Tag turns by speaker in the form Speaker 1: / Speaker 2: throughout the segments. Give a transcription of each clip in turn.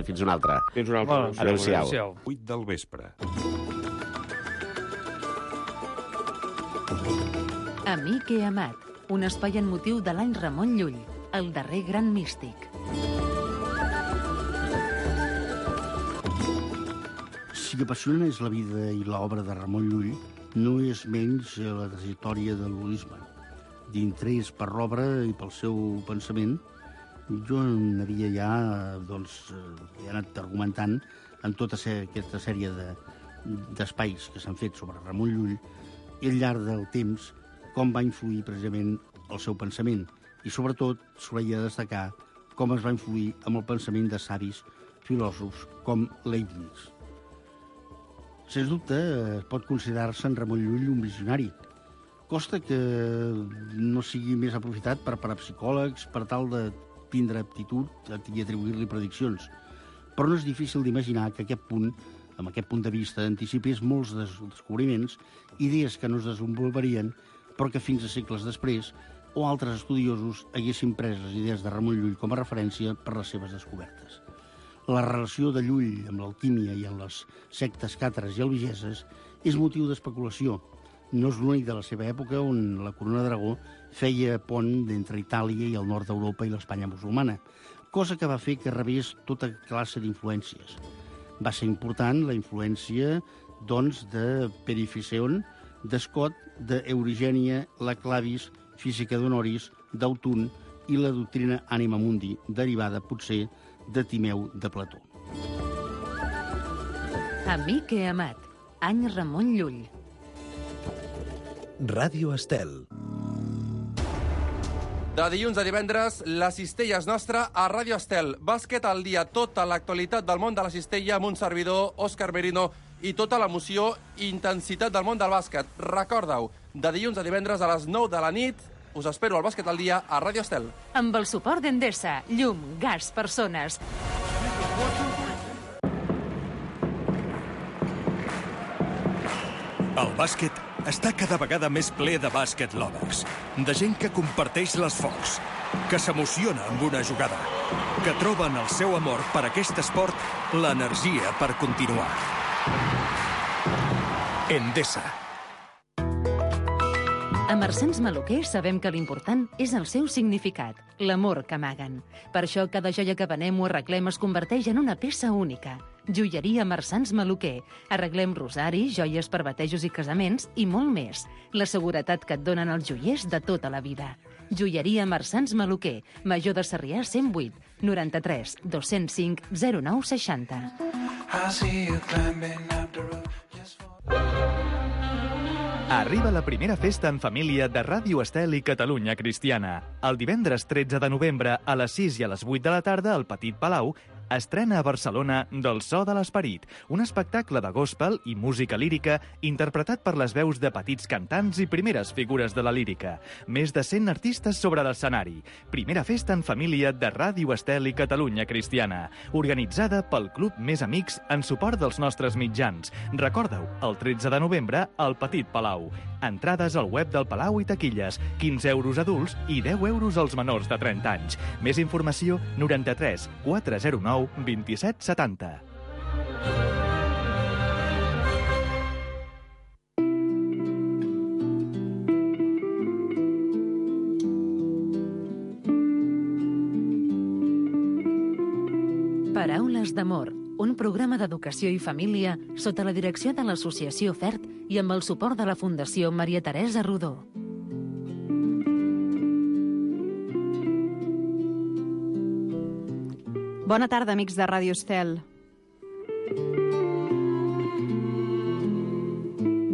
Speaker 1: Fins una altra.
Speaker 2: Fins una altra.
Speaker 1: Adéu-siau.
Speaker 3: 8 del vespre.
Speaker 4: Amic i amat, un espai en motiu de l'any Ramon Llull, el darrer gran místic.
Speaker 5: Si apassiona és la vida i l'obra de Ramon Llull, no és menys la trajectòria de l'holisme. D'interès per l'obra i pel seu pensament, jo n'havia ja he anat argumentant en tota aquesta sèrie d'espais que s'han fet sobre Ramon Llull i al llarg del temps com va influir precisament el seu pensament i sobretot s'hauria de destacar com es va influir amb el pensament de savis filòsofs com Leibniz. Sens dubte, pot considerar-se en Ramon Llull un visionari. Costa que no sigui més aprofitat per parapsicòlegs per tal de tindre aptitud i atribuir-li prediccions. Però no és difícil d'imaginar que amb aquest punt de vista, anticipés molts descobriments, idees que no es desenvoluparien, però que fins a segles després, o altres estudiosos haguessin pres les idees de Ramon Llull com a referència per les seves descobertes. La relació de Llull amb l'alquímia i amb les sectes càtares i albigeses és motiu d'especulació. No és l'únic de la seva època on la corona d'Aragó feia pont entre Itàlia i el nord d'Europa i l'Espanya musulmana, cosa que va fer que rebés tota classe d'influències. Va ser important la influència, doncs, de Perificeon, d'Escot, d'Eurigènia, la Clavis, Física d'Honoris, d'Autun i la doctrina Anima Mundi, derivada, potser, de Timeu de Plató.
Speaker 4: Amic i amat, any Ramon Llull.
Speaker 6: Ràdio Estel.
Speaker 7: De dilluns a divendres, la cistella és nostra a Ràdio Estel. Bàsquet al dia, tota l'actualitat del món de la cistella amb un servidor, Òscar Merino, i tota l'emoció i intensitat del món del bàsquet. Recorda-ho, de dilluns a divendres a les 9 de la nit, us espero al Bàsquet al dia a Ràdio Estel.
Speaker 4: Amb el suport d'Endesa, llum, gas, persones.
Speaker 6: El bàsquet està cada vegada més ple de bàsquet lovers, de gent que comparteix l'esforç, que s'emociona amb una jugada, que troba en el seu amor per aquest esport l'energia per continuar. Endesa.
Speaker 4: A Marsans Maluquer sabem que l'important és el seu significat, l'amor que amaguen. Per això cada joia que venem o arreglem es converteix en una peça única. Joieria Marsans Maluquer. Arreglem rosaris, joies per batejos i casaments i molt més. La seguretat que et donen els joiers de tota la vida. Joieria Marsans Maluquer. Major de Sarrià 108 93 205 09 60.
Speaker 8: Arriba la primera festa en família de Ràdio Estel i Catalunya Cristiana. El divendres 13 de novembre a les 6 i a les 8 de la tarda al Petit Palau estrena a Barcelona Del so de l'esperit, un espectacle de gospel i música lírica interpretat per les veus de petits cantants i primeres figures de la lírica. Més de 100 artistes sobre l'escenari. Primera festa en família de Ràdio Estel i Catalunya Cristiana, organitzada pel Club Més Amics en suport dels nostres mitjans. Recorda-ho, el 13 de novembre al Petit Palau. Entrades al web del Palau i taquilles, 15 euros adults i 10 euros als menors de 30 anys. Més informació 93 409 27 70.
Speaker 4: Paraules d'amor, un programa d'educació i família sota la direcció de l'Associació FERT i amb el suport de la Fundació Maria Teresa Rodó.
Speaker 9: Bona tarda, amics de Ràdio Estel.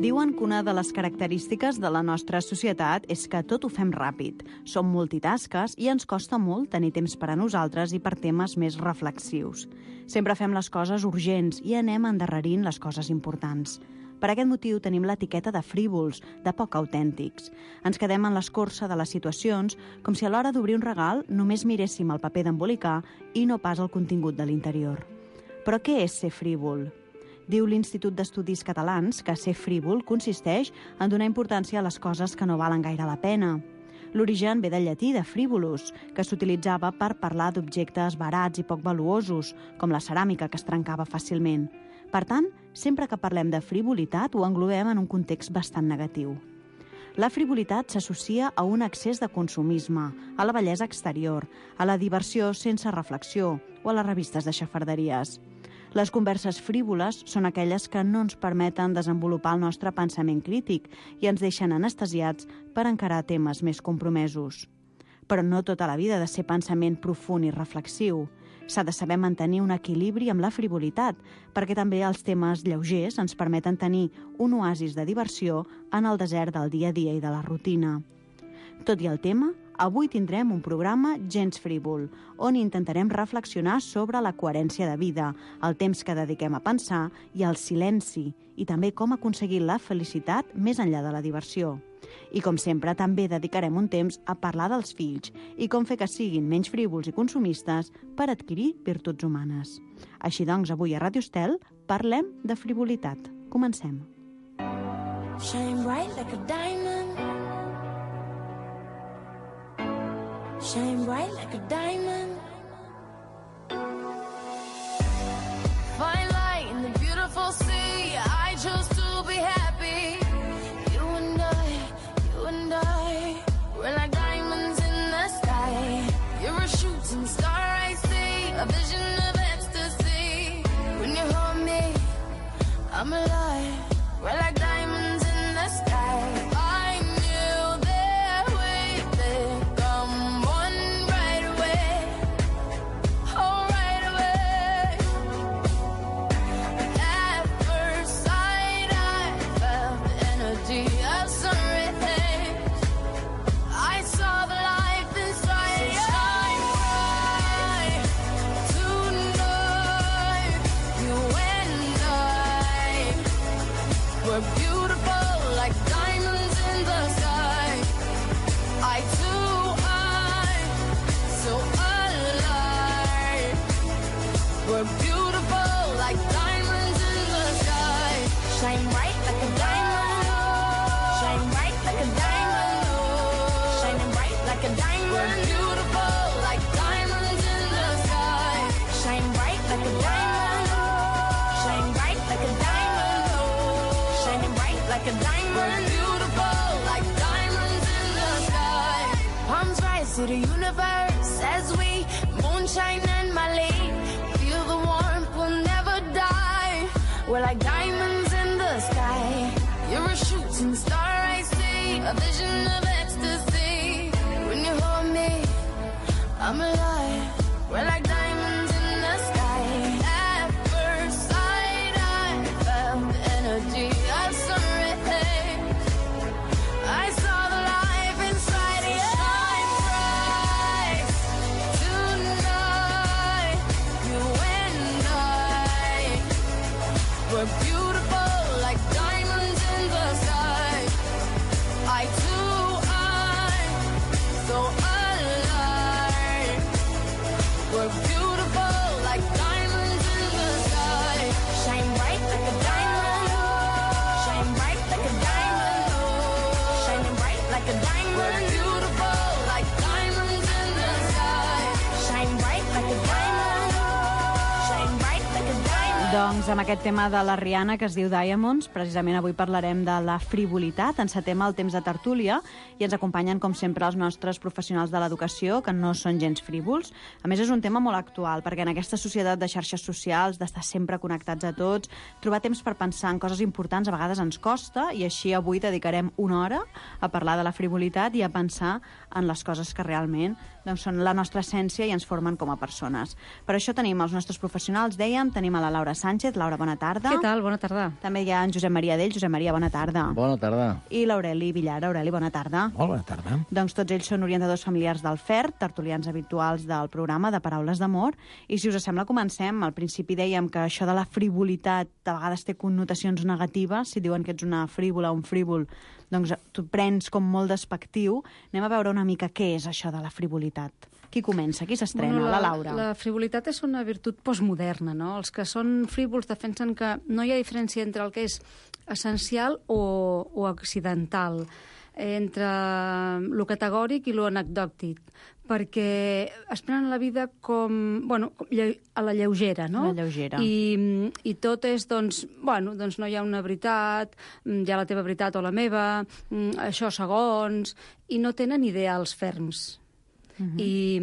Speaker 9: Diuen que una de les característiques de la nostra societat és que tot ho fem ràpid. Som multitasques i ens costa molt tenir temps per a nosaltres i per temes més reflexius. Sempre fem les coses urgents i anem endarrerint les coses importants. Per aquest motiu tenim l'etiqueta de frívols, de poc autèntics. Ens quedem en l'escorça de les situacions com si a l'hora d'obrir un regal només miréssim el paper d'embolicar i no pas el contingut de l'interior. Però què és ser frívol? Diu l'Institut d'Estudis Catalans que ser frívol consisteix en donar importància a les coses que no valen gaire la pena. L'origen ve del llatí de frivolus, que s'utilitzava per parlar d'objectes barats i poc valuosos, com la ceràmica que es trencava fàcilment. Per tant, sempre que parlem de frivolitat ho englobem en un context bastant negatiu. La frivolitat s'associa a un excés de consumisme, a la bellesa exterior, a la diversió sense reflexió o a les revistes de xafarderies. Les converses frívoles són aquelles que no ens permeten desenvolupar el nostre pensament crític i ens deixen anestesiats per encarar temes més compromesos. Però no tota la vida ha de ser pensament profund i reflexiu. S'ha de saber mantenir un equilibri amb la frivolitat, perquè també els temes lleugers ens permeten tenir un oasis de diversió en el desert del dia a dia i de la rutina. Tot i el tema, avui tindrem un programa gens frívol, on intentarem reflexionar sobre la coherència de vida, el temps que dediquem a pensar i el silenci, i també com aconseguir la felicitat més enllà de la diversió. I com sempre, també dedicarem un temps a parlar dels fills i com fer que siguin menys frívols i consumistes per adquirir virtuts humanes. Així doncs, avui a Ràdio Estel parlem de frivolitat. Comencem.
Speaker 1: Shine bright like a diamond. Shine bright like a diamond. Fine light in the beautiful sea. I chose to be happy. You and I, we're like diamonds in the sky. You're a shooting star I see, a vision of ecstasy. When you hold me, I'm alive. We're like diamonds in the sky. I knew that we'd become one right away. Oh, right away. At first sight, I felt the energy of sun rays. I saw the life inside you. Shine bright tonight. You and I, we're beautiful like diamonds in the sky. I too, I'm so alive. We're beautiful like diamonds in the sky. Shine bright like a diamond. Shine bright like a diamond. Shining bright like a diamond. We're beautiful like diamonds in the sky. Shine bright like a diamond. Shine bright like a diamond. Shining bright like a diamond. We're beautiful like diamonds in the sky. Palms rise to the universe as we moonshine and Mali. Feel the warmth, we'll never die. We're like diamonds in the sky. You're a shooting star I see, a vision of ecstasy. When you hold me, I'm alive. We're like diamonds in the sky. At first sight, I felt the energy of sun rays. I saw the life inside you. Shine bright tonight. You and I, we're beautiful like diamonds in the sky. I too, I'm so alive. We're beautiful like diamonds in the sky. Shine bright like a diamond. Shine bright like a diamond. Shining bright like a diamond. We're beautiful like diamonds in the sky. Shine bright like a diamond. Shine bright like a diamond.
Speaker 9: Doncs amb aquest tema de la Rihanna que es diu Diamonds, precisament avui parlarem de la frivolitat, encetem el temps de tertúlia i ens acompanyen com sempre els nostres professionals de l'educació que no són gens frívols. A més és un tema molt actual perquè en aquesta societat de xarxes socials, d'estar sempre connectats a tots, trobar temps per pensar en coses importants a vegades ens costa i així avui dedicarem una hora a parlar de la frivolitat i a pensar en les coses que realment són la nostra essència i ens formen com a persones. Per això tenim els nostres professionals, dèiem, tenim a la Laura Sánchez. Laura, bona tarda.
Speaker 2: Què tal? Bona tarda.
Speaker 9: També hi ha en Josep Maria Dell. Josep Maria, bona tarda.
Speaker 3: Bona tarda.
Speaker 9: I l'Aureli Villar. Aureli, bona tarda.
Speaker 3: Molt bona tarda.
Speaker 9: Doncs tots ells són orientadors familiars del FERT, tertulians habituals del programa de Paraules d'Amor. I si us sembla, comencem. Al principi dèiem que això de la frivolitat a vegades té connotacions negatives. Si diuen que ets una frívola o un frívol, doncs tu prens com molt despectiu. Anem a veure una mica què és això de la frivolitat. Qui comença? Qui s'estrena? La Laura.
Speaker 2: La frivolitat és una virtut postmoderna, no? Els que són frívols defensen que no hi ha diferència entre el que és essencial o accidental. entre lo categòric i lo anecdòtic, perquè es prenen la vida com, a la lleugera, no?
Speaker 9: A la lleugera.
Speaker 2: I tot és, doncs no hi ha una veritat, hi ha la teva veritat o la meva, això segons, i no tenen ideals ferms. I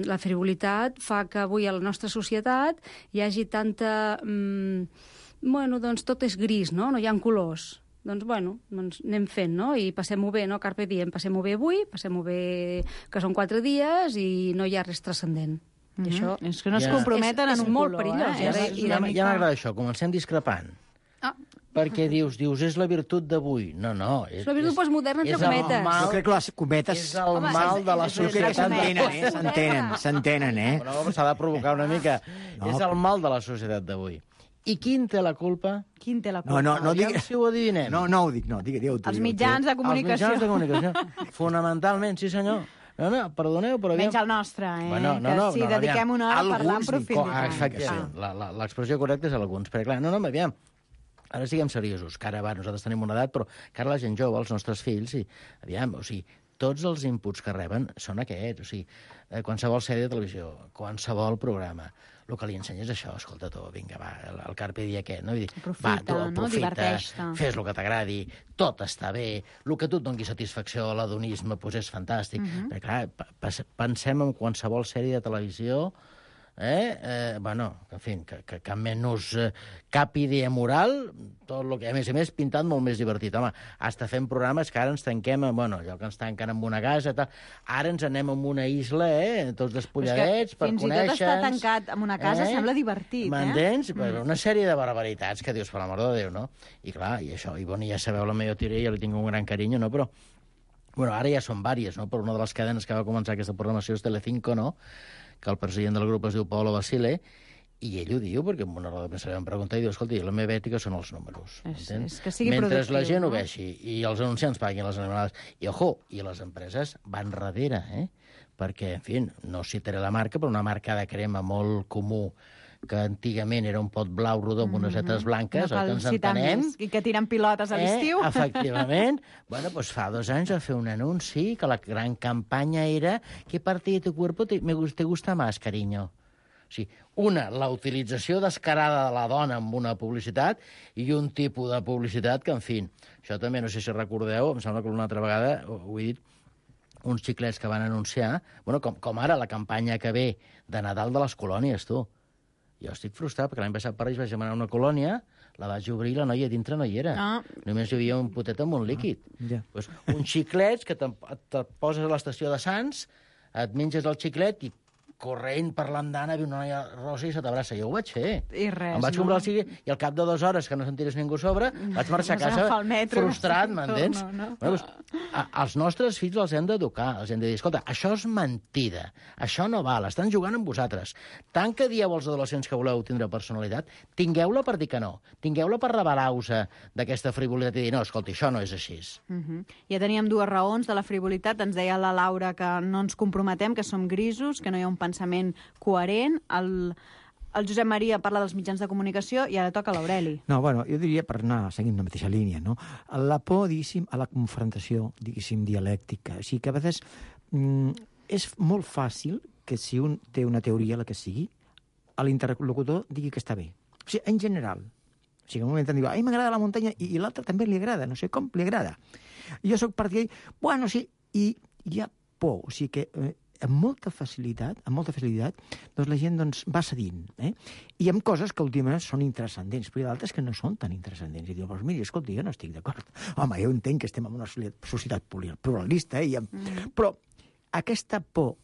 Speaker 2: la frivolitat fa que avui a la nostra societat hi hagi tanta... doncs tot és gris, no? No hi ha colors. Doncs anem fent, no? I passem-ho bé, no? Carpe diem, passem-ho bé avui, passem-ho bé que són 4 dies i no hi ha res transcendent. I això
Speaker 9: és que no es comprometen en un
Speaker 2: molt
Speaker 9: color,
Speaker 2: perillós.
Speaker 3: Ja m'agrada això, comencem discrepant. Perquè dius, és la virtut d'avui. No.
Speaker 2: És la virtut postmoderna, entre cometes.
Speaker 5: Jo crec que les cometes...
Speaker 3: És el mal de la societat.
Speaker 5: S'entenen,
Speaker 3: S'ha de provocar una mica. És el mal de la societat d'avui. I quin té la culpa?
Speaker 9: Quin té la culpa?
Speaker 5: No digues...
Speaker 3: Si ho adivinem.
Speaker 5: No ho dic, digue-ho tu.
Speaker 9: Els mitjans de comunicació.
Speaker 3: Els mitjans de comunicació. Fonamentalment, sí senyor. No, perdoneu, però...
Speaker 9: Menys el nostre, que dediquem una hora a parlar en profunditat.
Speaker 3: Efectivament, l'expressió correcta és alguns. Perquè clar, aviam, ara siguem seriosos, que ara nosaltres tenim una edat, però que ara la gent jove, els nostres fills, tots els inputs que reben són aquests, qualsevol sèrie de televisió, qualsevol programa, el que li ensenyes és això, escolta tu, vinga, va, el carpe diem aquest, no? Aprofita, fes el que t'agradi, tot està bé, el que tu et doni satisfacció, l'adonisme, és fantàstic. Perquè, clar, pensem en qualsevol sèrie de televisió, que menys cap idea moral, tot el que, a més, pintat molt més divertit. Home, hasta fem programes que ara ens tanquem, allò que ens tanquen en una casa, tal. Ara ens anem a una isla, tots despulladets, per conèixer...
Speaker 9: Fins i tot estar tancat en una casa sembla divertit,
Speaker 3: M'entens? Una sèrie de barbaritats que dius, per l'amor de Déu, no? I clar, i això, ja sabeu la meva teoria, ja li tinc un gran carinyo, no? Però, ara ja són vàries, no? Per una de les cadenes que va començar aquesta programació és Telecinco, no? Que el president del grup es diu Paolo Basile, i ell ho diu, perquè en una roda de premsa li van preguntar i diu, escolta, la meva ètica són els números.
Speaker 9: És que sigui
Speaker 3: mentre
Speaker 9: productiu,
Speaker 3: la gent ho vegi i els anunciants paguin les animals, i les empreses van darrere, perquè, en fi, no citaré la marca, però una marca de crema molt comú, que antigament era un pot blau rodó amb unes setes blanques, que ens entenem.
Speaker 9: I que tiren pilotes a l'estiu.
Speaker 3: Efectivament. Pues fa 2 anys va fer un anunci que la gran campanya era ¿qué parte de tu cuerpo te gusta más, cariño? O sigui, la utilització descarada de la dona amb una publicitat i un tipus de publicitat que, en fi, això també, no sé si recordeu, em sembla que una altra vegada ho he dit, uns xiclets que van anunciar, com ara la campanya que ve de Nadal de les colònies, tu. Jo estic frustrat, perquè l'any passat per Reis vaig demanar una colònia, la vaig obrir i la noia dintre no hi era. Només hi havia un potet amb un líquid. Uns xiclets que te poses a l'estació de Sants, et menges el xiclet i corrent per l'andana, ve una noia rosa i se t'abraça. Jo ho vaig fer.
Speaker 9: I res,
Speaker 3: em vaig comprar el xiclet i al cap de 2 hores, que no sentiràs ningú a sobre, vaig marxar a casa frustrat, m'entens? Els nostres fills els hem d'educar, els hem de dir, escolta, això és mentida, això no val, estan jugant amb vosaltres. Tant que dieu als adolescents que voleu tindre personalitat, tingueu-la per dir que no, tingueu-la per rebel·lar-vos d'aquesta frivolitat i dir, no, escolta, això no és així.
Speaker 9: Ja teníem 2 raons de la frivolitat, ens deia la Laura que no ens comprometem, que som grisos, que no hi ha un pensament coherent. El Josep Maria parla dels mitjans de comunicació i ara toca l'Aureli.
Speaker 10: No, jo diria, per anar seguint la mateixa línia, no? La por, diguéssim, a la confrontació, diguéssim, dialèctica. O sigui que a vegades és molt fàcil que si un té una teoria, la que sigui, a l'interlocutor digui que està bé. O sigui, en general. O sigui, en un moment diu, m'agrada la muntanya i l'altre també li agrada, no sé com li agrada. Jo soc partidari, sí, i hi ha por, o sigui que amb molta facilitat, doncs la gent va cedint. I hi ha coses que últimament són intranscendents, però hi ha d'altres que no són tan intranscendents. I diu, mira, escolta, jo no estic d'acord. Home, jo entenc que estem en una societat pluralista, però aquesta por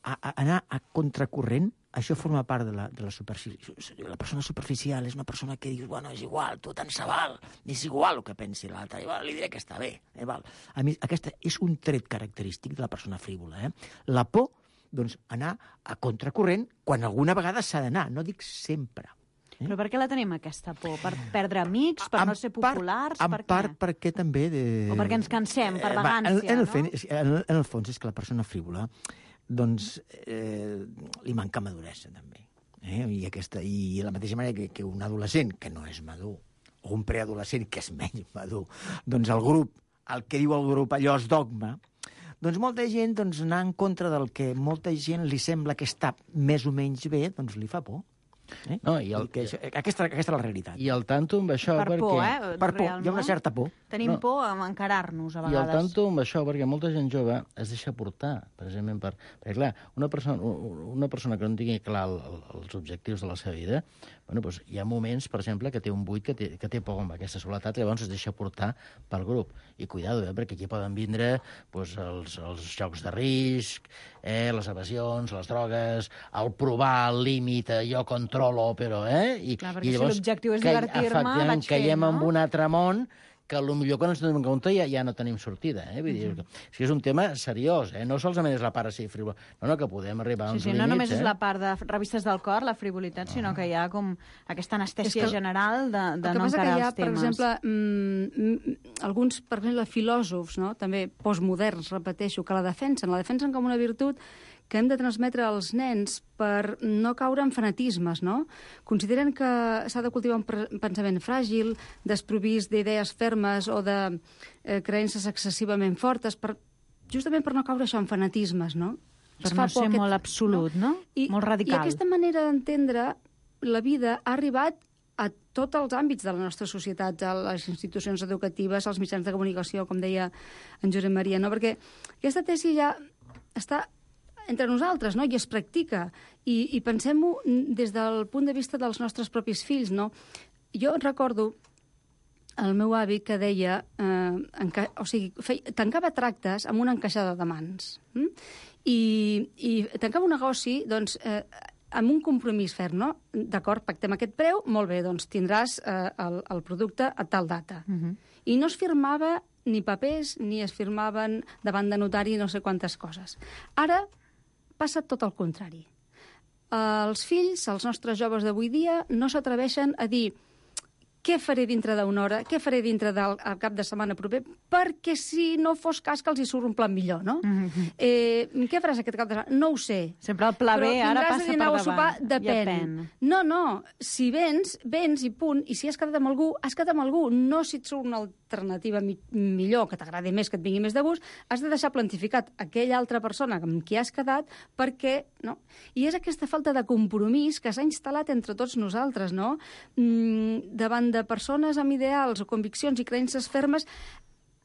Speaker 10: a anar a contracorrent, això forma part de la superfície. La persona superficial és una persona que dius, és igual, tu tant se val, és igual el que pensi l'altre, li diré que està bé. A mi, aquesta és un tret característic de la persona frívola. La por, anar a contracorrent quan alguna vegada s'ha d'anar, no dic sempre.
Speaker 9: Però per què la tenim, aquesta por? Per perdre amics? Per no ser populars?
Speaker 10: En part perquè també...
Speaker 9: O perquè ens cansem, per vagància, no?
Speaker 10: En el fons és que la persona frívola li manca maduresa, també. I de la mateixa manera que un adolescent que no és madur, o un preadolescent que és menys madur, doncs el grup el que diu el grup, allò és dogma, doncs molta gent anar en contra del que molta gent li sembla que està més o menys bé, doncs li fa por.
Speaker 3: No,
Speaker 10: aquesta és la realitat.
Speaker 3: I el tanto amb això
Speaker 9: per
Speaker 3: perquè...
Speaker 9: por,
Speaker 10: Per por, hi ha una certa por.
Speaker 9: Tenim por a encarar-nos, a
Speaker 3: I el
Speaker 9: vegades.
Speaker 3: tanto amb això perquè molta gent jove es deixa portar, precisament perquè, clar, una persona que no tingui clar els objectius de la seva vida, bueno, doncs hi ha moments, per exemple, que té un buit, que té por amb aquesta soledat, llavors es deixa portar pel grup. I cuidado, perquè aquí poden vindre doncs, els jocs de risc, les evasions, les drogues, el provar el límit, jo controlo, però...
Speaker 9: Clar, perquè si l'objectiu és divertir-me, vaig fent,
Speaker 3: caiem
Speaker 9: no?
Speaker 3: en un altre món que potser quan ens donem compte ja no tenim sortida. Vull dir, que és un tema seriós, no solament és la part així frívola, no, que podem arribar a uns límits.
Speaker 9: No només és la part de revistes del cor, la frivolitat, sinó que hi ha com aquesta anestèsia general de no encarar els temes.
Speaker 2: Per exemple, alguns, per exemple, filòsofs, no? També postmoderns, repeteixo, que la defensen com una virtut que hem de transmetre als nens per no caure en fanatismes, no? Consideren que s'ha de cultivar un pensament fràgil, desprovist d'idees fermes o de creences excessivament fortes, justament per no caure això en fanatismes, no?
Speaker 9: Per no ser molt absolut, no? Molt radical.
Speaker 2: I aquesta manera d'entendre la vida ha arribat a tots els àmbits de la nostra societat, a les institucions educatives, als mitjans de comunicació, com deia en Josep Maria, no? Perquè aquesta tesi ja està entre nosaltres, no? I es practica. I pensem-ho des del punt de vista dels nostres propis fills, no? Jo recordo el meu avi que deia... tancava tractes amb una encaixada de mans. I tancava un negoci, doncs, amb un compromís ferm, no? D'acord, pactem aquest preu, molt bé, doncs tindràs el producte a tal data. I no es firmava ni papers, ni es firmaven davant de notari no sé quantes coses. Ara passa tot el contrari. Els fills, els nostres joves d'avui dia, no s'atreveixen a dir què faré dintre d'una hora, què faré dintre del cap de setmana proper, perquè si no fos cas que els hi surt un plan millor, no? Què faràs aquest cap de setmana? No ho sé.
Speaker 9: Sempre el pla B ara passa per davant.
Speaker 2: Sopar? Depèn. No, si vens i punt, i si has quedat amb algú, has quedat amb algú. No si et surt una alternativa millor, que t'agradi més, que et vingui més de gust, has de deixar plantificat aquella altra persona amb qui has quedat, perquè... No? I és aquesta falta de compromís que s'ha instal·lat entre tots nosaltres, no? Davant de persones amb ideals o conviccions i creences fermes,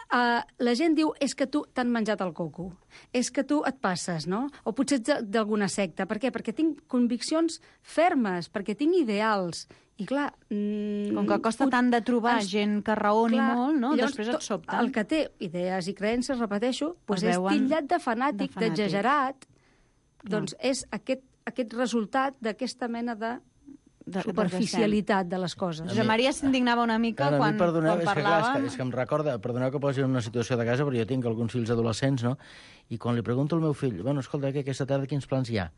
Speaker 2: la gent diu és que tu t'han menjat el coco, és que tu et passes, no? O potser ets d'alguna secta. Per què? Perquè tinc conviccions fermes, perquè tinc ideals. I clar...
Speaker 9: Com que costa tant de trobar gent que raoni molt, no? Després et sobten.
Speaker 2: El que té idees i creences, repeteixo, doncs és titllat de fanàtic, d'exagerat. Doncs és aquest resultat d'aquesta mena de superficialitat de les coses.
Speaker 9: Josep Maria s'indignava una mica quan parlàvem...
Speaker 3: És que em recorda, perdoneu que posi en una situació de casa, però jo tinc alguns fills adolescents, no? I quan li pregunto al meu fill, bueno, escolta, que aquesta tarda quins plans hi ha?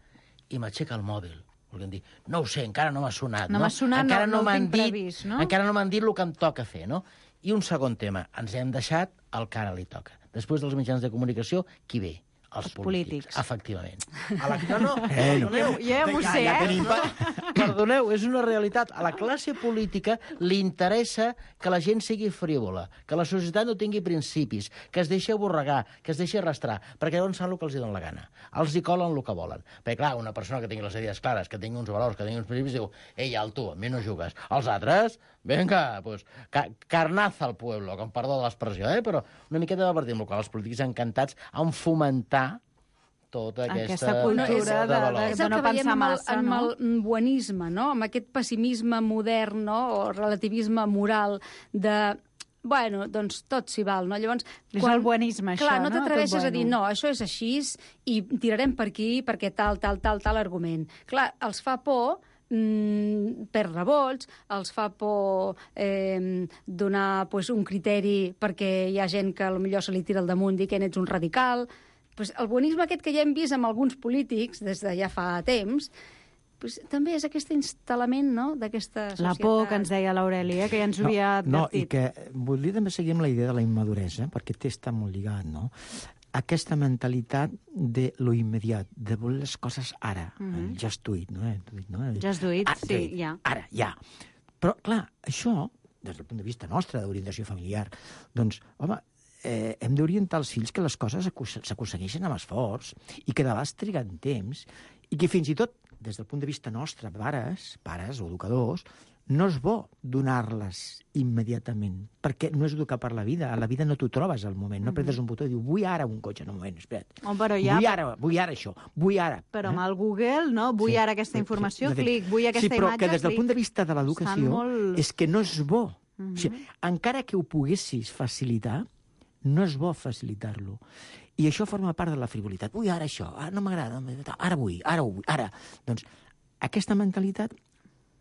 Speaker 3: I m'aixeca el mòbil. Volguem dir, no ho sé, encara no m'ha sonat.
Speaker 9: No m'ha sonat, no ho tinc previst, no?
Speaker 3: Encara no m'han dit el que em toca fer, no? I un segon tema, ens hem deixat el que ara li toca. Després dels mitjans de comunicació, qui ve? Els polítics. Efectivament.
Speaker 9: Ja m'ho sé,
Speaker 3: Perdoneu, és una realitat. A la classe política li interessa que la gent sigui frívola, que la societat no tingui principis, que es deixi aborregar, que es deixi arrastrar, perquè llavors fan el que els donen la gana. Els hi colen el que volen. Perquè, clar, una persona que tingui les idees clares, que tingui uns valors, que tingui uns principis, diu, ei, alto, amb mi no jugues. Els altres, venga, pues, carnaza al pueblo, com perdó de l'expressió, però una miqueta de partit, amb el qual els polítics encantats en fomentar tota aquesta
Speaker 9: cultura de no pensar massa,
Speaker 2: no? Amb el buenisme, no? Amb aquest pessimisme modern, no? O relativisme moral de... Bueno, doncs tot s'hi val, no? Llavors,
Speaker 9: és el buenisme, això, no?
Speaker 2: Clar, no t'atreveixes a dir, no, això és així i tirarem per aquí perquè tal argument. Clar, els fa por per revolts, els fa por donar un criteri perquè hi ha gent que potser se li tira al damunt i que ets un radical. El buenisme aquest que ja hem vist amb alguns polítics des de ja fa temps, també és aquest instal·lament, no?, d'aquesta societat.
Speaker 9: La por que ens deia l'Aureli, que ja ens ho havia advertit.
Speaker 10: No, i que volia també seguir amb la idea de la immaduresa, perquè està molt lligat, no? Aquesta mentalitat de lo immediat, de voler les coses ara. Just do it, no?
Speaker 9: Just do it, sí, ja.
Speaker 10: Ara, ja. Però, clar, això, des del punt de vista nostre, d'orientació familiar, doncs, home, hem d'orientar els fills que les coses s'aconsegueixen amb esforç i que de vegades triguen temps i que fins i tot, des del punt de vista nostre, pares o educadors, no és bo donar-les immediatament, perquè no és educar per la vida. A la vida no t'ho trobes al moment, no apretes un botó i dius, vull ara un cotxe, no, un moment, espera't.
Speaker 9: Però ja...
Speaker 10: Vull ara això, vull ara.
Speaker 9: Però amb el Google, no? Vull ara aquesta informació, clic, vull aquesta imatge, clic.
Speaker 10: Sí, però que des del punt de vista de l'educació és que no és bo. O sigui, encara que ho poguessis facilitar, no és bo facilitar-lo. I això forma part de la frivolitat. Vull ara això, ara no m'agrada, ara vull, ara. Doncs aquesta mentalitat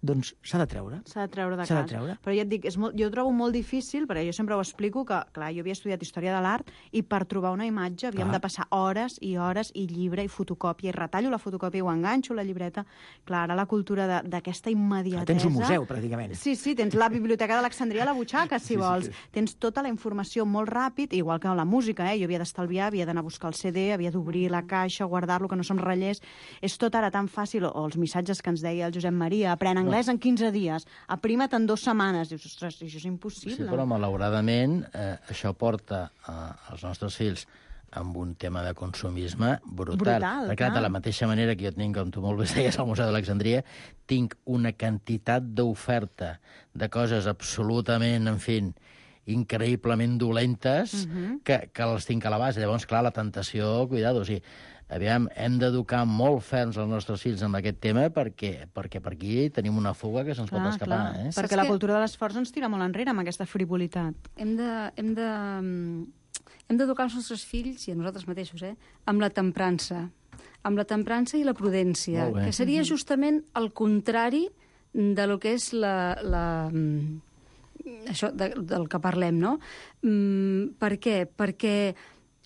Speaker 10: s'ha de treure.
Speaker 9: S'ha de treure de casa. Però ja et dic, jo ho trobo molt difícil, perquè jo sempre ho explico, que clar, jo havia estudiat Història de l'Art i per trobar una imatge havíem de passar hores i hores i llibre i fotocòpia, i retallo la fotocòpia i ho enganxo la llibreta. Clar, ara la cultura d'aquesta immediatesa...
Speaker 10: Tens un museu, pràcticament.
Speaker 9: Sí, tens la Biblioteca d'Alexandria a la butxaca, si vols. Tens tota la informació molt ràpid, igual que la música, Jo havia d'estalviar, havia d'anar a buscar el CD, havia d'obrir la caixa, guardar-lo, que no se'm ratllés. És tot ara tan fàcil, o els missatges que ens deia el Josep Maria, aprèn anglès en 15 dies, aprima't en 2 setmanes. Dius, ostres, això és impossible.
Speaker 3: Sí, però malauradament això porta als nostres fills amb un tema de consumisme brutal. Perquè de la mateixa manera que jo tinc, com tu molt bé deies, al Museu d'Alexandria, tinc una quantitat d'oferta de coses absolutament, en fi, increïblement dolentes que les tinc a l'abast. Llavors, clar, la tentació, cuidado, o sigui, aviam, hem d'educar molt ferms els nostres fills amb aquest tema perquè per aquí tenim una fuga que se'ns pot escapar.
Speaker 9: Perquè la cultura de l'esforç ens tira molt enrere amb aquesta frivolitat.
Speaker 2: Hem d'educar els nostres fills, i a nosaltres mateixos, amb la temprança. Amb la temprança i la prudència, que seria justament el contrari de lo que és això del que parlem, no? Per què? Perquè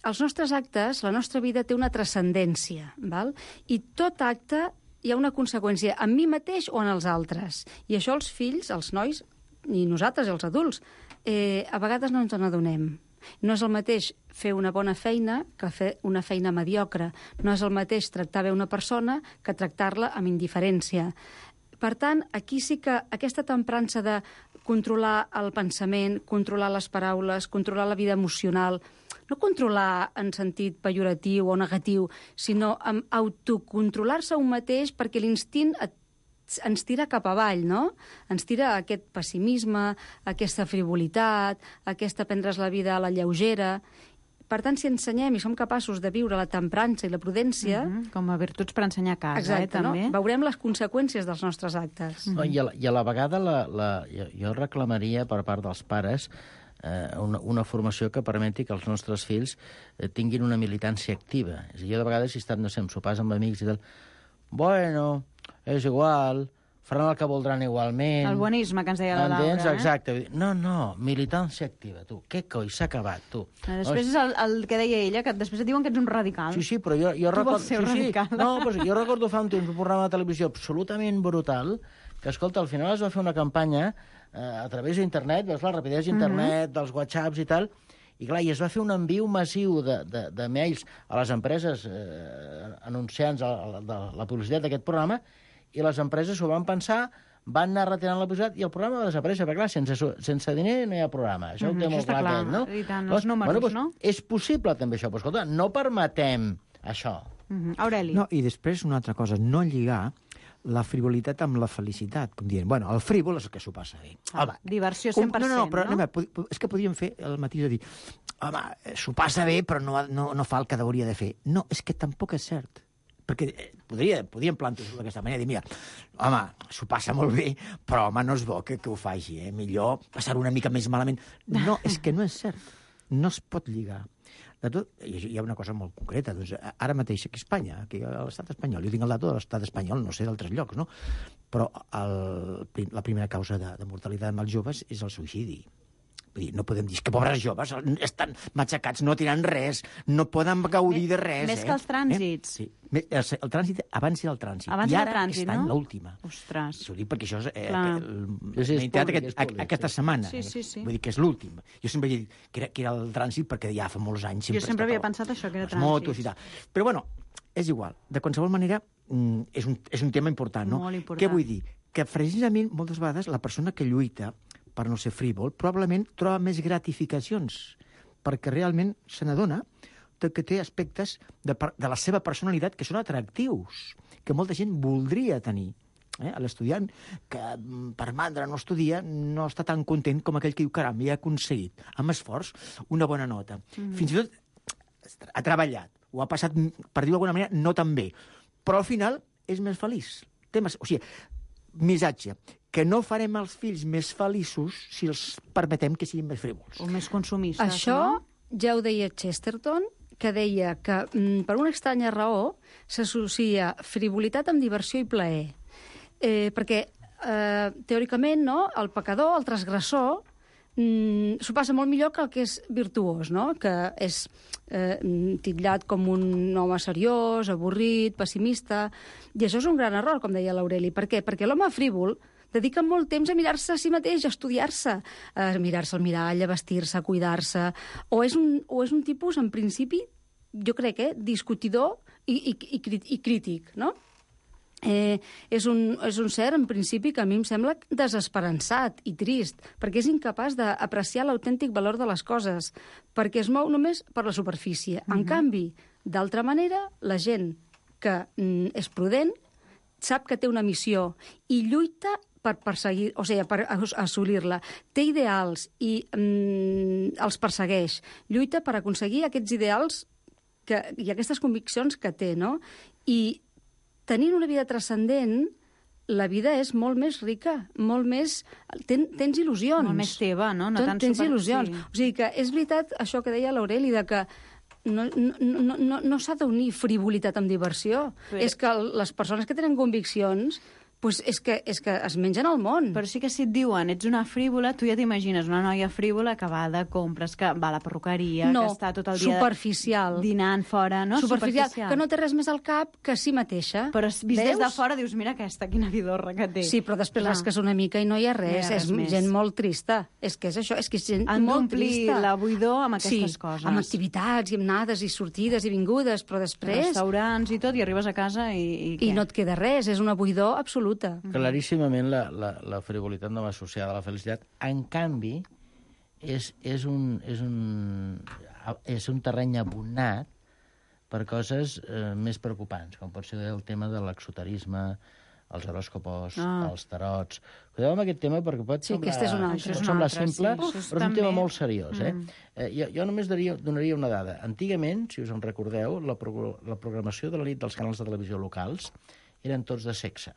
Speaker 2: els nostres actes, la nostra vida té una transcendència, val? I tot acte hi ha una conseqüència en mi mateix o en els altres. I això els fills, els nois, i nosaltres, els adults, a vegades no ens n'adonem. No és el mateix fer una bona feina que fer una feina mediocre. No és el mateix tractar bé una persona que tractar-la amb indiferència. Per tant, aquí sí que aquesta temprança de controlar el pensament, controlar les paraules, controlar la vida emocional, no controlar en sentit pejoratiu o negatiu, sinó amb autocontrolar-se un mateix perquè l'instint ens tira cap avall, no? Ens tira a aquest pessimisme, a aquesta frivolitat, a aquesta prendre's la vida a la lleugera. Per tant, si ensenyem i som capaços de viure la temprança i la prudència...
Speaker 9: Com a virtuts per ensenyar a casa,
Speaker 2: exacte,
Speaker 9: també.
Speaker 2: No? Veurem les conseqüències dels nostres actes.
Speaker 3: I a la vegada jo reclamaria per part dels pares una formació que permeti que els nostres fills tinguin una militància activa. És a dir, jo de vegades, si estan, no sé, en sopars amb amics i tal, bueno, és igual, faran el que voldran igualment...
Speaker 9: El bonisme que ens deia la Laura.
Speaker 3: Exacte. No, militància activa, tu. Què coi, s'ha acabat, tu.
Speaker 9: Després és el que deia ella, que després et diuen que ets un radical.
Speaker 3: Sí, però jo recordo...
Speaker 9: Tu vols ser un radical.
Speaker 3: No, però jo recordo fa un temps un programa de televisió absolutament brutal, que, escolta, al final es va fer una campanya a través d'internet, veus la rapidesa d'internet, dels whatsapps i tal, i clar, i es va fer un enviu massiu de mails a les empreses anunciants de la publicitat d'aquest programa, i les empreses s'ho van pensar, van anar retirant la publicitat i el programa va desaparèixer, perquè clar, sense diner no hi ha programa. Això ho té molt clar, no?
Speaker 9: I tant, els números, no?
Speaker 3: És possible també això, però escolta, no permetem això.
Speaker 9: Aureli.
Speaker 10: No, i després una altra cosa, no lligar la frivolitat amb la felicitat, com dient, bueno, el frívol és el que s'ho passa bé.
Speaker 9: Diversió 100%,
Speaker 10: no? Però és que podríem fer el matís de dir, home, s'ho passa bé, però no fa el que hauria de fer. No, és que tampoc és cert. Perquè podríem plantejar-ho d'aquesta manera, dir, mira, home, s'ho passa molt bé, però, home, no és bo que ho faci, millor passar una mica més malament. No, és que no és cert. No es pot lligar. De tot, hi ha una cosa molt concreta. Doncs, ara mateix aquí a Espanya, aquí a l'estat espanyol, jo tinc el dato de l'estat espanyol, no sé d'altres llocs, no? Però la primera causa de mortalitat amb els joves és el suïcidi. Vull dir, no podem dir que pobres joves estan matxacats, no tenen res, no poden gaudir de res.
Speaker 9: Més que els trànsits.
Speaker 10: Sí. El trànsit, abans era el trànsit.
Speaker 9: Abans
Speaker 10: i
Speaker 9: era
Speaker 10: ara
Speaker 9: el trànsit,
Speaker 10: està en
Speaker 9: no?
Speaker 10: l'última.
Speaker 9: Ostres.
Speaker 10: Ho dic perquè això
Speaker 3: és
Speaker 10: aquesta setmana.
Speaker 9: Sí.
Speaker 10: Vull dir que és l'últim. Jo sempre he dit que era el trànsit perquè ja fa molts anys...
Speaker 9: Jo sempre havia pensat això, que era trànsit.
Speaker 10: Motos i tal. Però bueno, és igual. De qualsevol manera, és un tema important, no?
Speaker 9: Molt important.
Speaker 10: Què vull dir? Que precisament moltes vegades la persona que lluita per no ser frívol, probablement troba més gratificacions perquè realment se n'adona que té aspectes de la seva personalitat que són atractius, que molta gent voldria tenir. L'estudiant que per mandra no estudia no està tan content com aquell que diu caram, ja ha aconseguit, amb esforç, una bona nota. Fins i tot ha treballat, ho ha passat, per dir-ho d'alguna manera, no tan bé, però al final és més feliç. O sigui, missatge, que no farem els fills més feliços si els permetem que siguin més frívols.
Speaker 9: O més consumistes,
Speaker 2: Això
Speaker 9: no?
Speaker 2: ja ho deia Chesterton, que deia que per una estranya raó s'associa frivolitat amb diversió i plaer. Perquè, teòricament, no, el pecador, el transgressor, s'ho passa molt millor que el que és virtuós, no? Que és titllat com un home seriós, avorrit, pessimista. I això és un gran error, com deia l'Aureli. Per què? Perquè l'home frívol dedica molt temps a mirar-se a si mateix, a estudiar-se, a mirar-se al mirall, a vestir-se, a cuidar-se. O és un tipus, en principi, jo crec, discutidor i crític, no? És un ser, en principi, que a mi em sembla desesperançat i trist, perquè és incapaç d'apreciar l'autèntic valor de les coses, perquè es mou només per la superfície. En canvi, d'altra manera, la gent que és prudent sap que té una missió i lluita per perseguir, o sigui, per assolir-la. Té ideals i els persegueix. Lluita per aconseguir aquests ideals i aquestes conviccions que té, no? I tenint una vida transcendent, la vida és molt més rica, molt més... Tens il·lusions.
Speaker 9: Molt més teva, no? No tan
Speaker 2: tens il·lusions. Sí. O sigui que és veritat això que deia l'Aureli, de que no s'ha d'unir frivolitat amb diversió. És que les persones que tenen conviccions pues és que es mengen el món.
Speaker 9: Però sí que si et diuen ets una frívola, tu ja t'imagines una noia frívola que va de compres, que va a la perruqueria, que està tot el dia
Speaker 2: superficial.
Speaker 9: Dinant fora, no?
Speaker 2: Superficial, que no té res més al cap que si mateixa.
Speaker 9: Però vist des de fora dius, mira aquesta, quina vidorra que té.
Speaker 2: Sí, però després rasques una mica i no hi ha res. És gent molt trista. És que és això, és que és gent molt trista.
Speaker 9: Han d'omplir la buidor amb aquestes coses.
Speaker 2: Amb activitats i amb anades i sortides i vingudes, però després...
Speaker 9: Restaurants i tot, i arribes a casa i què?
Speaker 2: I no et queda res, és una buidor absoluta.
Speaker 3: Claríssimament la frivolitat no va associada a la felicitat. En canvi, és un terreny abonat per coses més preocupants, com pot ser el tema de l'exoterisme, els horòscopos, els tarots. Cuideu amb aquest tema perquè pot semblar simple, però és un tema molt seriós. Jo només donaria una dada. Antigament, si us en recordeu, la programació de la nit dels canals de televisió locals eren tots de sexe.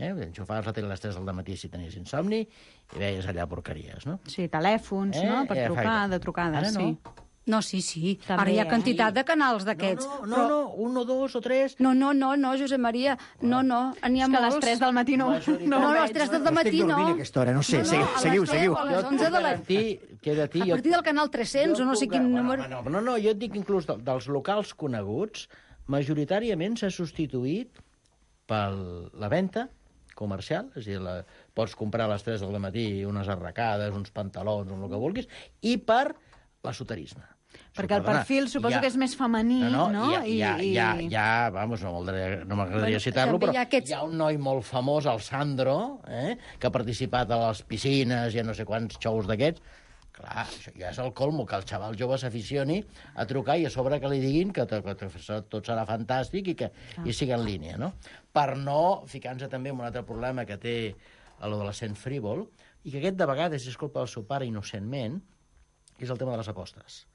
Speaker 3: Enxufaves la tele a les 3 del matí si tenies insomni i veies allà porqueries, no?
Speaker 9: Sí, telèfons, no? Per trucar, de trucades, sí.
Speaker 2: No, sí. Ara hi ha quantitat de canals d'aquests.
Speaker 3: No, 1, 2 o 3...
Speaker 2: No, Josep Maria, no, n'hi ha molts.
Speaker 9: És que a les 3 del matí no,
Speaker 2: a les 3 del matí no.
Speaker 10: Estic dormint a aquesta hora, no sé, seguiu.
Speaker 2: A les 11 de la... A partir del canal 300 o no sé quin número...
Speaker 3: No, jo et dic inclús dels locals coneguts, majoritàriament s'ha substituït per la venda comercial, és a dir, pots comprar a les 3 del matí unes arracades, uns pantalons, el que vulguis, i per l'esoterisme.
Speaker 9: Perquè el perfil suposo que és més femení, no?
Speaker 3: Vamos, no m'agradaria citar-lo, però hi ha un noi molt famós, el Sandro, que ha participat a les piscines i a no sé quants xous d'aquests. Clar, això ja és el colmo, que el xaval jove s'aficioni a trucar i a sobre que li diguin que tot serà fantàstic i sigui en línia, no? Per no ficar-nos també en un altre problema que té l'adolescent frívol, i que aquest de vegades és culpa del seu pare innocentment, és el tema de les apostes.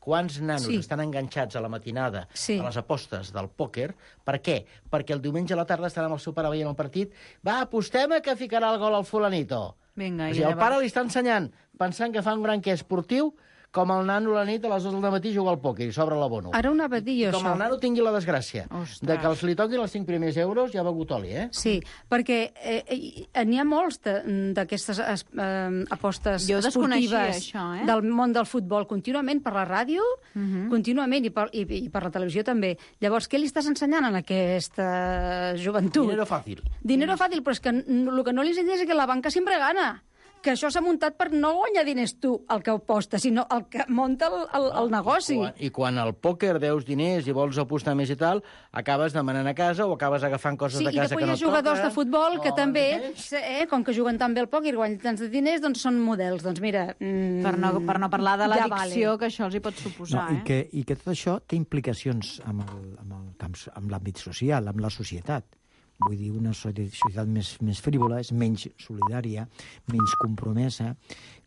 Speaker 3: Quants nanos estan enganxats a la matinada a les apostes del pòquer? Per què? Perquè el diumenge a la tarda estan amb el seu pare veient el partit. Va, apostem que ficarà el gol al fulanito.
Speaker 9: Vinga,
Speaker 3: el pare li està ensenyant, pensant que fa un gran que esportiu, com el nano a la nit a les 2 del matí juga al pòquer i s'obre l'abono.
Speaker 2: Ara una badia,
Speaker 3: això. Com el nano tingui la desgràcia de que els li toquin els 5 primers euros ja ha begut oli,
Speaker 2: Sí, perquè n'hi ha molts d'aquestes apostes esportives del món del futbol contínuament per la ràdio, contínuament, i per la televisió també. Llavors, què li estàs ensenyant a aquesta joventut?
Speaker 3: Dinero fàcil.
Speaker 2: Dinero fàcil, però és que el que no li ensenyes és que la banca sempre gana. que això s'ha muntat per no guanyar diners tu, el que aposta, sinó el que munta el negoci.
Speaker 3: I quan al pòquer deus diners i vols apostar més i tal, acabes demanant a casa o acabes agafant coses de casa que no et toquen.
Speaker 2: Sí, i després hi ha jugadors de futbol que també, com que juguen tan bé al pòquer i guanyen tants de diners, doncs són models. Doncs mira...
Speaker 9: Per no parlar de l'addicció que això els hi pot suposar.
Speaker 10: I que tot això té implicacions amb l'àmbit social, amb la societat. Vull dir, una societat més frívola és menys solidària, menys compromesa.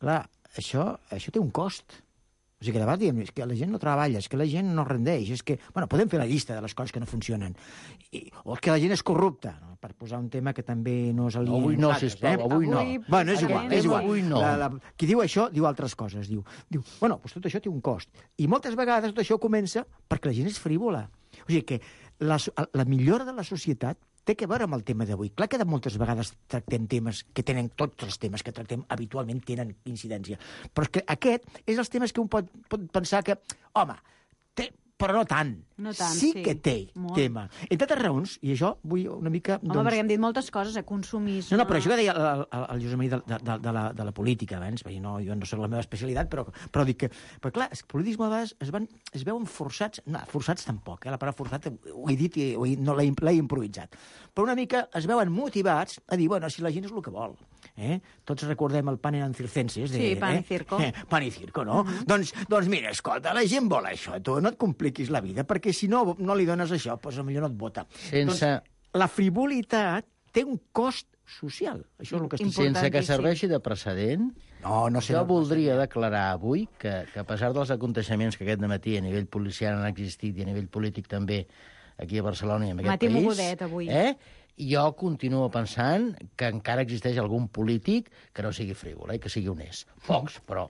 Speaker 10: Clar, això té un cost. O sigui, que de vegades diem, és que la gent no treballa, és que la gent no rendeix, és que... Bueno, podem fer la llista de les coses que no funcionen. O és que la gent és corrupta, no? Per posar un tema que també no és el dia...
Speaker 3: Avui no, sisplau, avui no.
Speaker 10: Bueno, és igual.
Speaker 3: Avui no.
Speaker 10: Qui diu això, diu altres coses. Diu, bueno, doncs tot això té un cost. I moltes vegades tot això comença perquè la gent és frívola. O sigui que la millora de la societat té que veure amb el tema d'avui. Clar que moltes vegades tractem temes que tenen, tots els temes que tractem habitualment tenen incidència. Però és que aquest és els temes que un pot pensar que, home, té, però no tant.
Speaker 9: No tant,
Speaker 10: sí que té tema. Entre altres raons, i això vull una mica...
Speaker 9: Home, perquè hem dit moltes coses, consumisme...
Speaker 10: No, però això que deia el Josep Maria de la política abans, jo no soc la meva especialitat, però dic que... Però clar, el politisme a vegades es veuen forçats... No, forçats tampoc, la paraula forçat ho he dit i no l'he improvisat. Però una mica es veuen motivats a dir, bueno, si la gent és el que vol. Tots recordem el Pan and Circenses.
Speaker 9: Sí, Pan y Circo.
Speaker 10: Pan y Circo, no? Doncs mira, escolta, la gent vol això, tu no et compliquis la vida, perquè si no li dones això, doncs potser no et vota. Doncs la frivolitat té un cost social. Això és el que estic dient.
Speaker 3: Sense que serveixi de precedent, jo voldria declarar avui que a pesar dels aconteixements que aquest dematí a nivell policial han existit i a nivell polític també aquí a Barcelona i en aquest país...
Speaker 9: mogudet, avui.
Speaker 3: Jo continuo pensant que encara existeix algun polític que no sigui frívol, que sigui honest. Pocs, però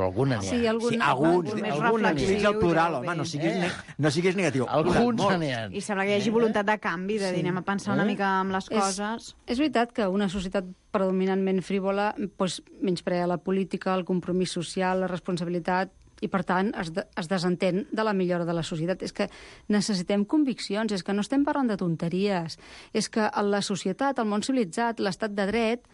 Speaker 3: algun n'hi ha.
Speaker 2: Sí, alguns
Speaker 9: més reflexius.
Speaker 10: El plural, home, no siguis negatiu.
Speaker 3: Alguns n'hi ha.
Speaker 9: I sembla que hi hagi voluntat de canvi, de dir, anem a pensar una mica amb les coses.
Speaker 2: És veritat que una societat predominantment frívola menysprea la política, el compromís social, la responsabilitat, i, per tant, es desentén de la millora de la societat. És que necessitem conviccions, és que no estem parlant de tonteries, és que la societat, el món civilitzat, l'estat de dret,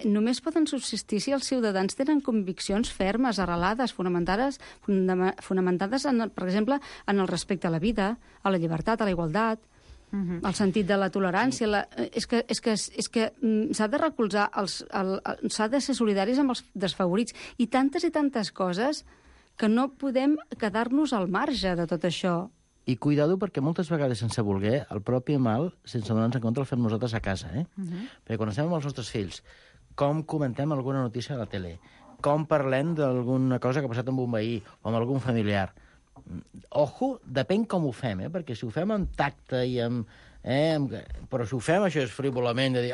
Speaker 2: només poden subsistir si els ciutadans tenen conviccions fermes, arrelades, fonamentades, per exemple, en el respecte a la vida, a la llibertat, a la igualtat, el sentit de la tolerància. És que s'ha de recolzar, s'ha de ser solidaris amb els desfavorits, i tantes coses que no podem quedar-nos al marge de tot això.
Speaker 3: I cuidado, perquè moltes vegades, sense voler, el propi mal, sense donar-nos en compte, el fem nosaltres a casa. Perquè quan estem amb els nostres fills, com comentem alguna notícia a la tele, com parlem d'alguna cosa que ha passat amb un veí o amb algun familiar. Ojo, depèn com ho fem, perquè si ho fem amb tacte i amb... però si ho fem això és frívolament de dir,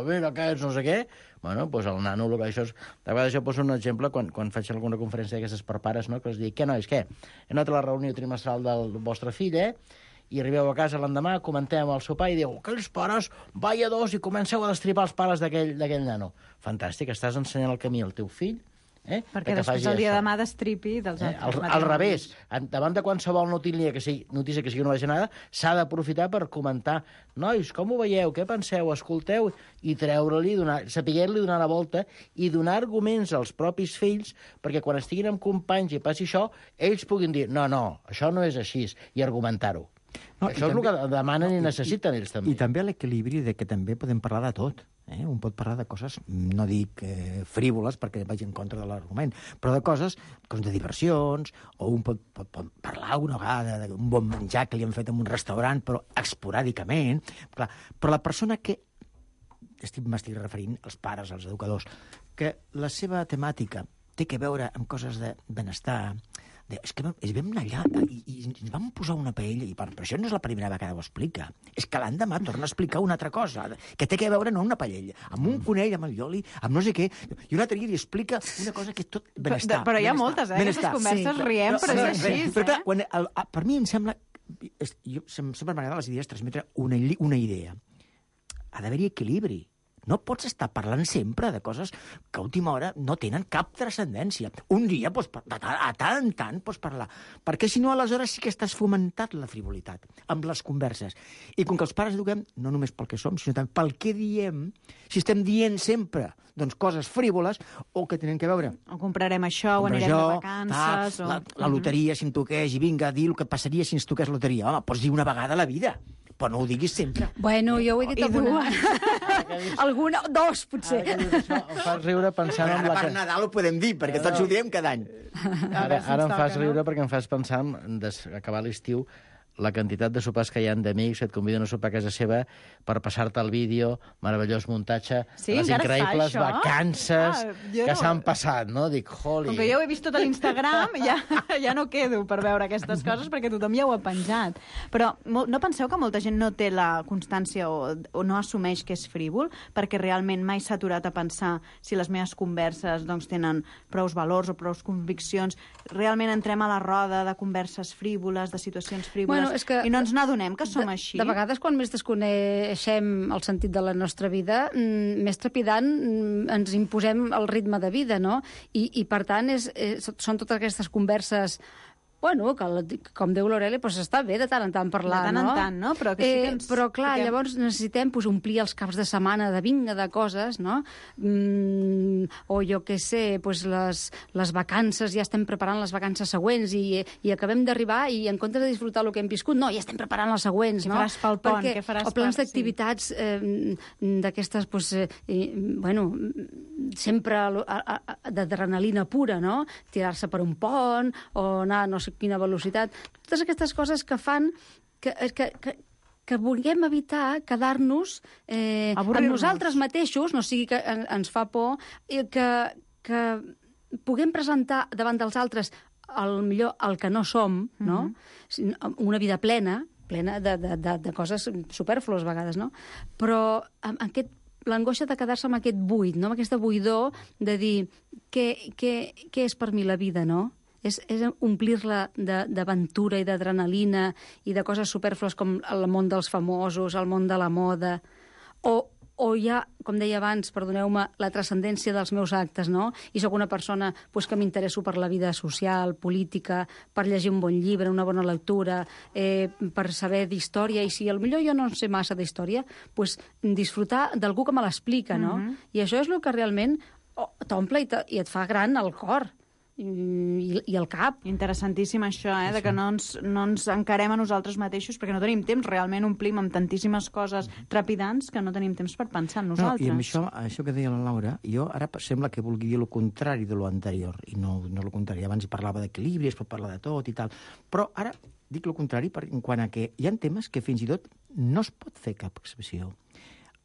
Speaker 3: mira aquests no sé què, bueno, doncs el nano, això és... De vegades jo poso un exemple quan faig alguna conferència d'aquestes per pares, no? Que els dic, què nois, què? He anat a la reunió trimestral del vostre fill, i arribeu a casa l'endemà, comentem amb el seu pare i diu, aquells pares, vaya dos, i comenceu a destripar els pares d'aquell nano. Fantàstic, estàs ensenyant el camí al teu fill,
Speaker 9: perquè després el dia de demà destripi dels altres.
Speaker 3: Al revés, davant de qualsevol notícia que sigui una bajanada, s'ha d'aprofitar per comentar, nois, com ho veieu, què penseu, escolteu, i treure-li, saber-li donar la volta i donar arguments als propis fills perquè quan estiguin amb companys i passi això, ells puguin dir, no, això no és així, i argumentar-ho. Això és el que demanen i necessiten ells també.
Speaker 10: I també l'equilibri de que també podem parlar de tot. Un pot parlar de coses, no dic frívoles perquè vagi en contra de l'argument, però de coses de diversions, o un pot parlar una vegada d'un bon menjar que li han fet en un restaurant, però esporàdicament. Clar, però la persona que m'estic referint, als pares, als educadors, que la seva temàtica té que veure amb coses de benestar, és que vam anar allà i ens vam posar una paella, i per això no és la primera vegada que ho explica. És que l'endemà torna a explicar una altra cosa, que té que veure no amb una paella, amb un conill, amb el lloli, amb no sé què, i un altre dia li explica una cosa que és tot benestar.
Speaker 9: Però hi ha moltes, aquestes converses riem, però és així.
Speaker 10: Però clar, per mi em sembla... Sempre m'agrada les idees transmetre una idea. Ha d'haver-hi equilibri. No pots estar parlant sempre de coses que a última hora no tenen cap transcendència. Un dia, a tant en tant, pots parlar. Perquè si no, aleshores sí que estàs fomentant la frivolitat amb les converses. I com que els pares eduquem, no només pel que som, sinó també pel que diem, si estem dient sempre doncs, coses frívoles o que tenen que veure...
Speaker 9: O comprarem això, o anirem de vacances...
Speaker 10: La loteria, si em toqués, i vinga, dir el que passaria si ens toqués loteria. Home, pots dir una vegada a la vida, però no ho diguis sempre.
Speaker 2: Bueno, jo ho he dit alguna. Alguna, dos, potser.
Speaker 3: Ara que dius això, em fas riure pensant en la...
Speaker 10: Per Nadal ho podem dir, perquè tots ho diem cada any.
Speaker 3: Ara em fas riure perquè em fas pensar en acabar l'estiu la quantitat de sopars que hi ha d'amics que et conviden a sopar a casa seva per passar-te el vídeo, meravellós muntatge, les increïbles vacances que s'han passat, no? Dic, holy...
Speaker 9: Com que jo ho he vist tot a l'Instagram, ja no quedo per veure aquestes coses perquè tothom ja ho ha penjat. Però no penseu que molta gent no té la constància o no assumeix que és frívol perquè realment mai s'ha aturat a pensar si les meves converses doncs, tenen prous valors o prous conviccions. Realment entrem a la roda de converses frívoles, de situacions frívoles, i no ens n'adonem que som així.
Speaker 2: De vegades, quan més desconeixem el sentit de la nostra vida, més trepidant ens imposem el ritme de vida, no? I per tant, són totes aquestes converses... Bueno, que, com diu l'Aureli, doncs està bé de tant en tant parlar,
Speaker 9: no? De tant en tant, no? Però, que sí que
Speaker 2: però clar, llavors necessitem omplir els caps de setmana de vinga de coses, no? O jo què sé, les vacances, ja estem preparant les vacances següents i acabem d'arribar i en comptes de disfrutar el que hem viscut, no, ja estem preparant les següents, no?
Speaker 9: Què faràs pel pont? Què faràs
Speaker 2: o plans d'activitats d'aquestes, bueno, sempre d'adrenalina pura, no? Tirar-se per un pont o anar no sé quina velocitat. Totes aquestes coses que fan que vulguem evitar quedar-nos amb nosaltres mateixos, no sigui que ens fa por, que puguem presentar davant dels altres millor el que no som, no? Una vida plena de coses supèrflues a vegades, no? Però l'angoixa de quedar-se amb aquest buit, no? Amb aquesta buidor de dir què és per mi la vida, no? És omplir-la d'aventura i d'adrenalina i de coses supèrflues com el món dels famosos, el món de la moda, o ja, com deia abans, perdoneu-me, la transcendència dels meus actes, no? I sóc una persona que m'interesso per la vida social, política, per llegir un bon llibre, una bona lectura, per saber d'història, i si potser jo no sé massa d'història, disfrutar d'algú que me l'explica, no? I això és el que realment t'omple i et fa gran el cor. I el cap.
Speaker 9: Interessantíssim això, de que no ens encarem a nosaltres mateixos perquè no tenim temps, realment omplim amb tantíssimes coses trepidants que no tenim temps per pensar en nosaltres.
Speaker 10: I amb això que deia la Laura, jo ara sembla que vulgui dir el contrari de lo anterior, i no el contrari. Abans parlava d'equilibri, es pot parlar de tot i tal, però ara dic el contrari en quant a que hi ha temes que fins i tot no es pot fer cap expressió.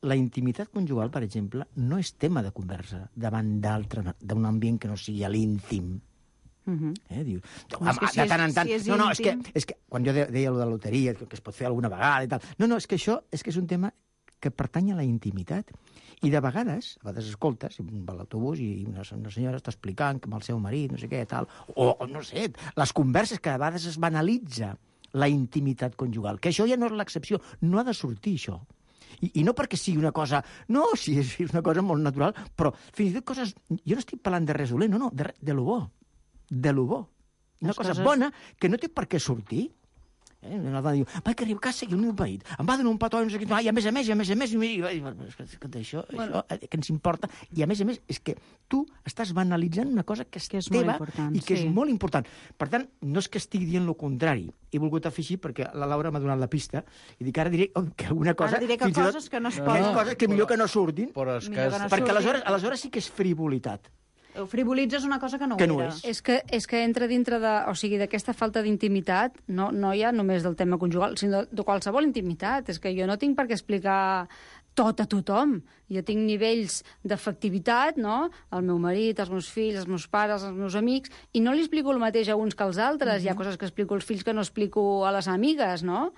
Speaker 10: La intimitat conjugal, per exemple, no és tema de conversa davant d'un ambient que no sigui l'íntim. Diu, de tant en tant... No, és que quan jo deia allò de la loteria, que es pot fer alguna vegada i tal... No, és que això és un tema que pertany a la intimitat. I de vegades escoltes, va a l'autobús i una senyora està explicant que amb el seu marit, no sé què, tal... O no sé, les converses que de vegades es banalitza la intimitat conjugal, que això ja no és l'excepció, no ha de sortir això. I no perquè sigui una cosa... No, sí, és una cosa molt natural, però fins i tot coses... Jo no estic parlant de res dolent, no, de lo bo. De lo bo. Una cosa bona que no té per què sortir. Una dona diu, vaig arribar a casa i el meu marit em va donar un petó, i a més, això que ens importa, i a més, és que tu estàs banalitzant una cosa que és teva i que és molt important. Per tant, no és que estigui dient el contrari. He volgut afegir perquè la Laura m'ha donat la pista i dic, ara diré que alguna cosa...
Speaker 9: Ara diré que coses que no es poden...
Speaker 10: Coses que millor que no surtin, perquè aleshores sí que és frivolitat.
Speaker 9: Frivolitzes una cosa que no ho era.
Speaker 2: És que entra dintre d'aquesta falta d'intimitat, no ja només del tema conjugal, sinó de qualsevol intimitat. És que jo no tinc per què explicar tot a tothom. Jo tinc nivells d'efectivitat, no? El meu marit, els meus fills, els meus pares, els meus amics, i no li explico el mateix a uns que als altres. Hi ha coses que explico als fills que no explico a les amigues, no?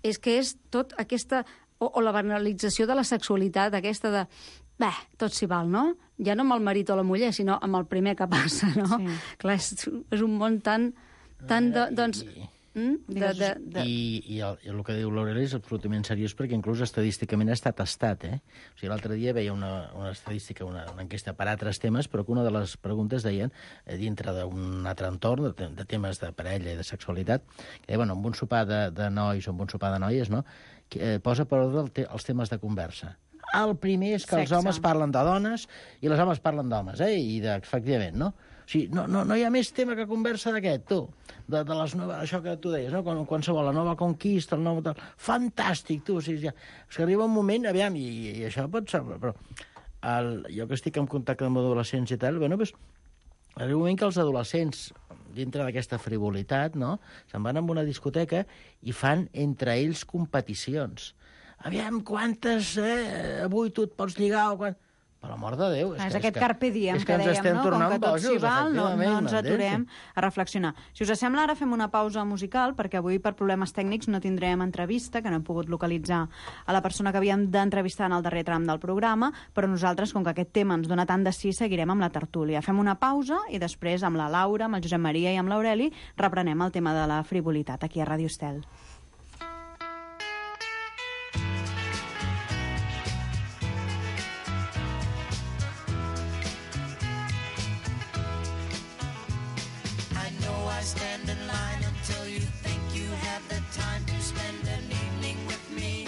Speaker 2: És que és tot aquesta... O la banalització de la sexualitat, aquesta de... tot s'hi val, no? Ja no amb el marit o la muller, sinó amb el primer que passa, no? Sí. Clar, és un món tan doncs...
Speaker 3: I el que diu l'Aureli és absolutament seriós perquè inclús estadísticament ha estat tastat, O sigui, l'altre dia veia una estadística, una enquesta per altres temes, però que una de les preguntes deien, dintre d'un altre entorn, de temes de parella i de sexualitat, que deia, amb un sopar de nois o amb un sopar de noies, no? Posa per ordre els temes de conversa. El primer és que els homes parlen de dones i les homes parlen d'homes, efectivament, no? O sigui, no hi ha més tema que conversa d'aquest, tu. De les noves, això que tu deies, no? Qualsevol, la nova conquista, el nou... Fantàstic, tu. O sigui, és que arriba un moment, aviam, i això pot ser... Però jo que estic en contacte amb adolescents i tal, bueno, doncs, arriba un moment que els adolescents, dintre d'aquesta frivolitat, no?, se'n van a una discoteca i fan entre ells competicions. Aviam, quantes, avui tu et pots lligar o quan... Per l'amor de Déu.
Speaker 9: És aquest carpe diem que dèiem, no? Com que tot s'hi val, no ens aturem a reflexionar. Si us sembla, ara fem una pausa musical, perquè avui, per problemes tècnics, no tindrem entrevista, que no hem pogut localitzar a la persona que havíem d'entrevistar en el darrer tram del programa, però nosaltres, com que aquest tema ens dona tant de sí, seguirem amb la tertúlia. Fem una pausa i després, amb la Laura, amb el Josep Maria i amb l'Aureli, reprenem el tema de la frivolitat aquí a Ràdio Estel.
Speaker 11: Stand in line until you think you have the time to spend an evening with me.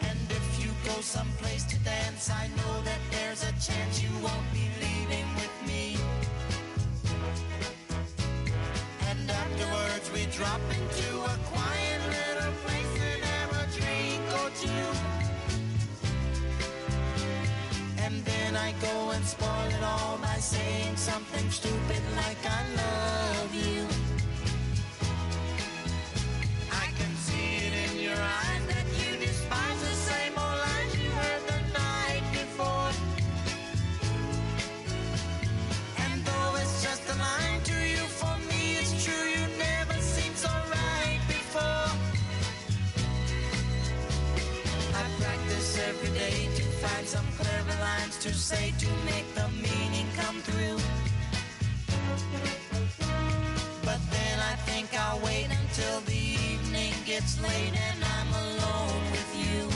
Speaker 11: And if you go someplace to dance, I know that there's a chance you won't be leaving with me. And afterwards we drop into a quiet little place and have a drink or two. And then I go and spoil it all by saying something stupid like I love you. I can see it in your eyes that you despise the same old lines you heard the night before. And though it's just a line to you, for me it's true, you never seemed so right before. I practice every day to find some clever lines to say to make the meaning come through. But then I think I'll wait until the evening gets late and I'm alone with you.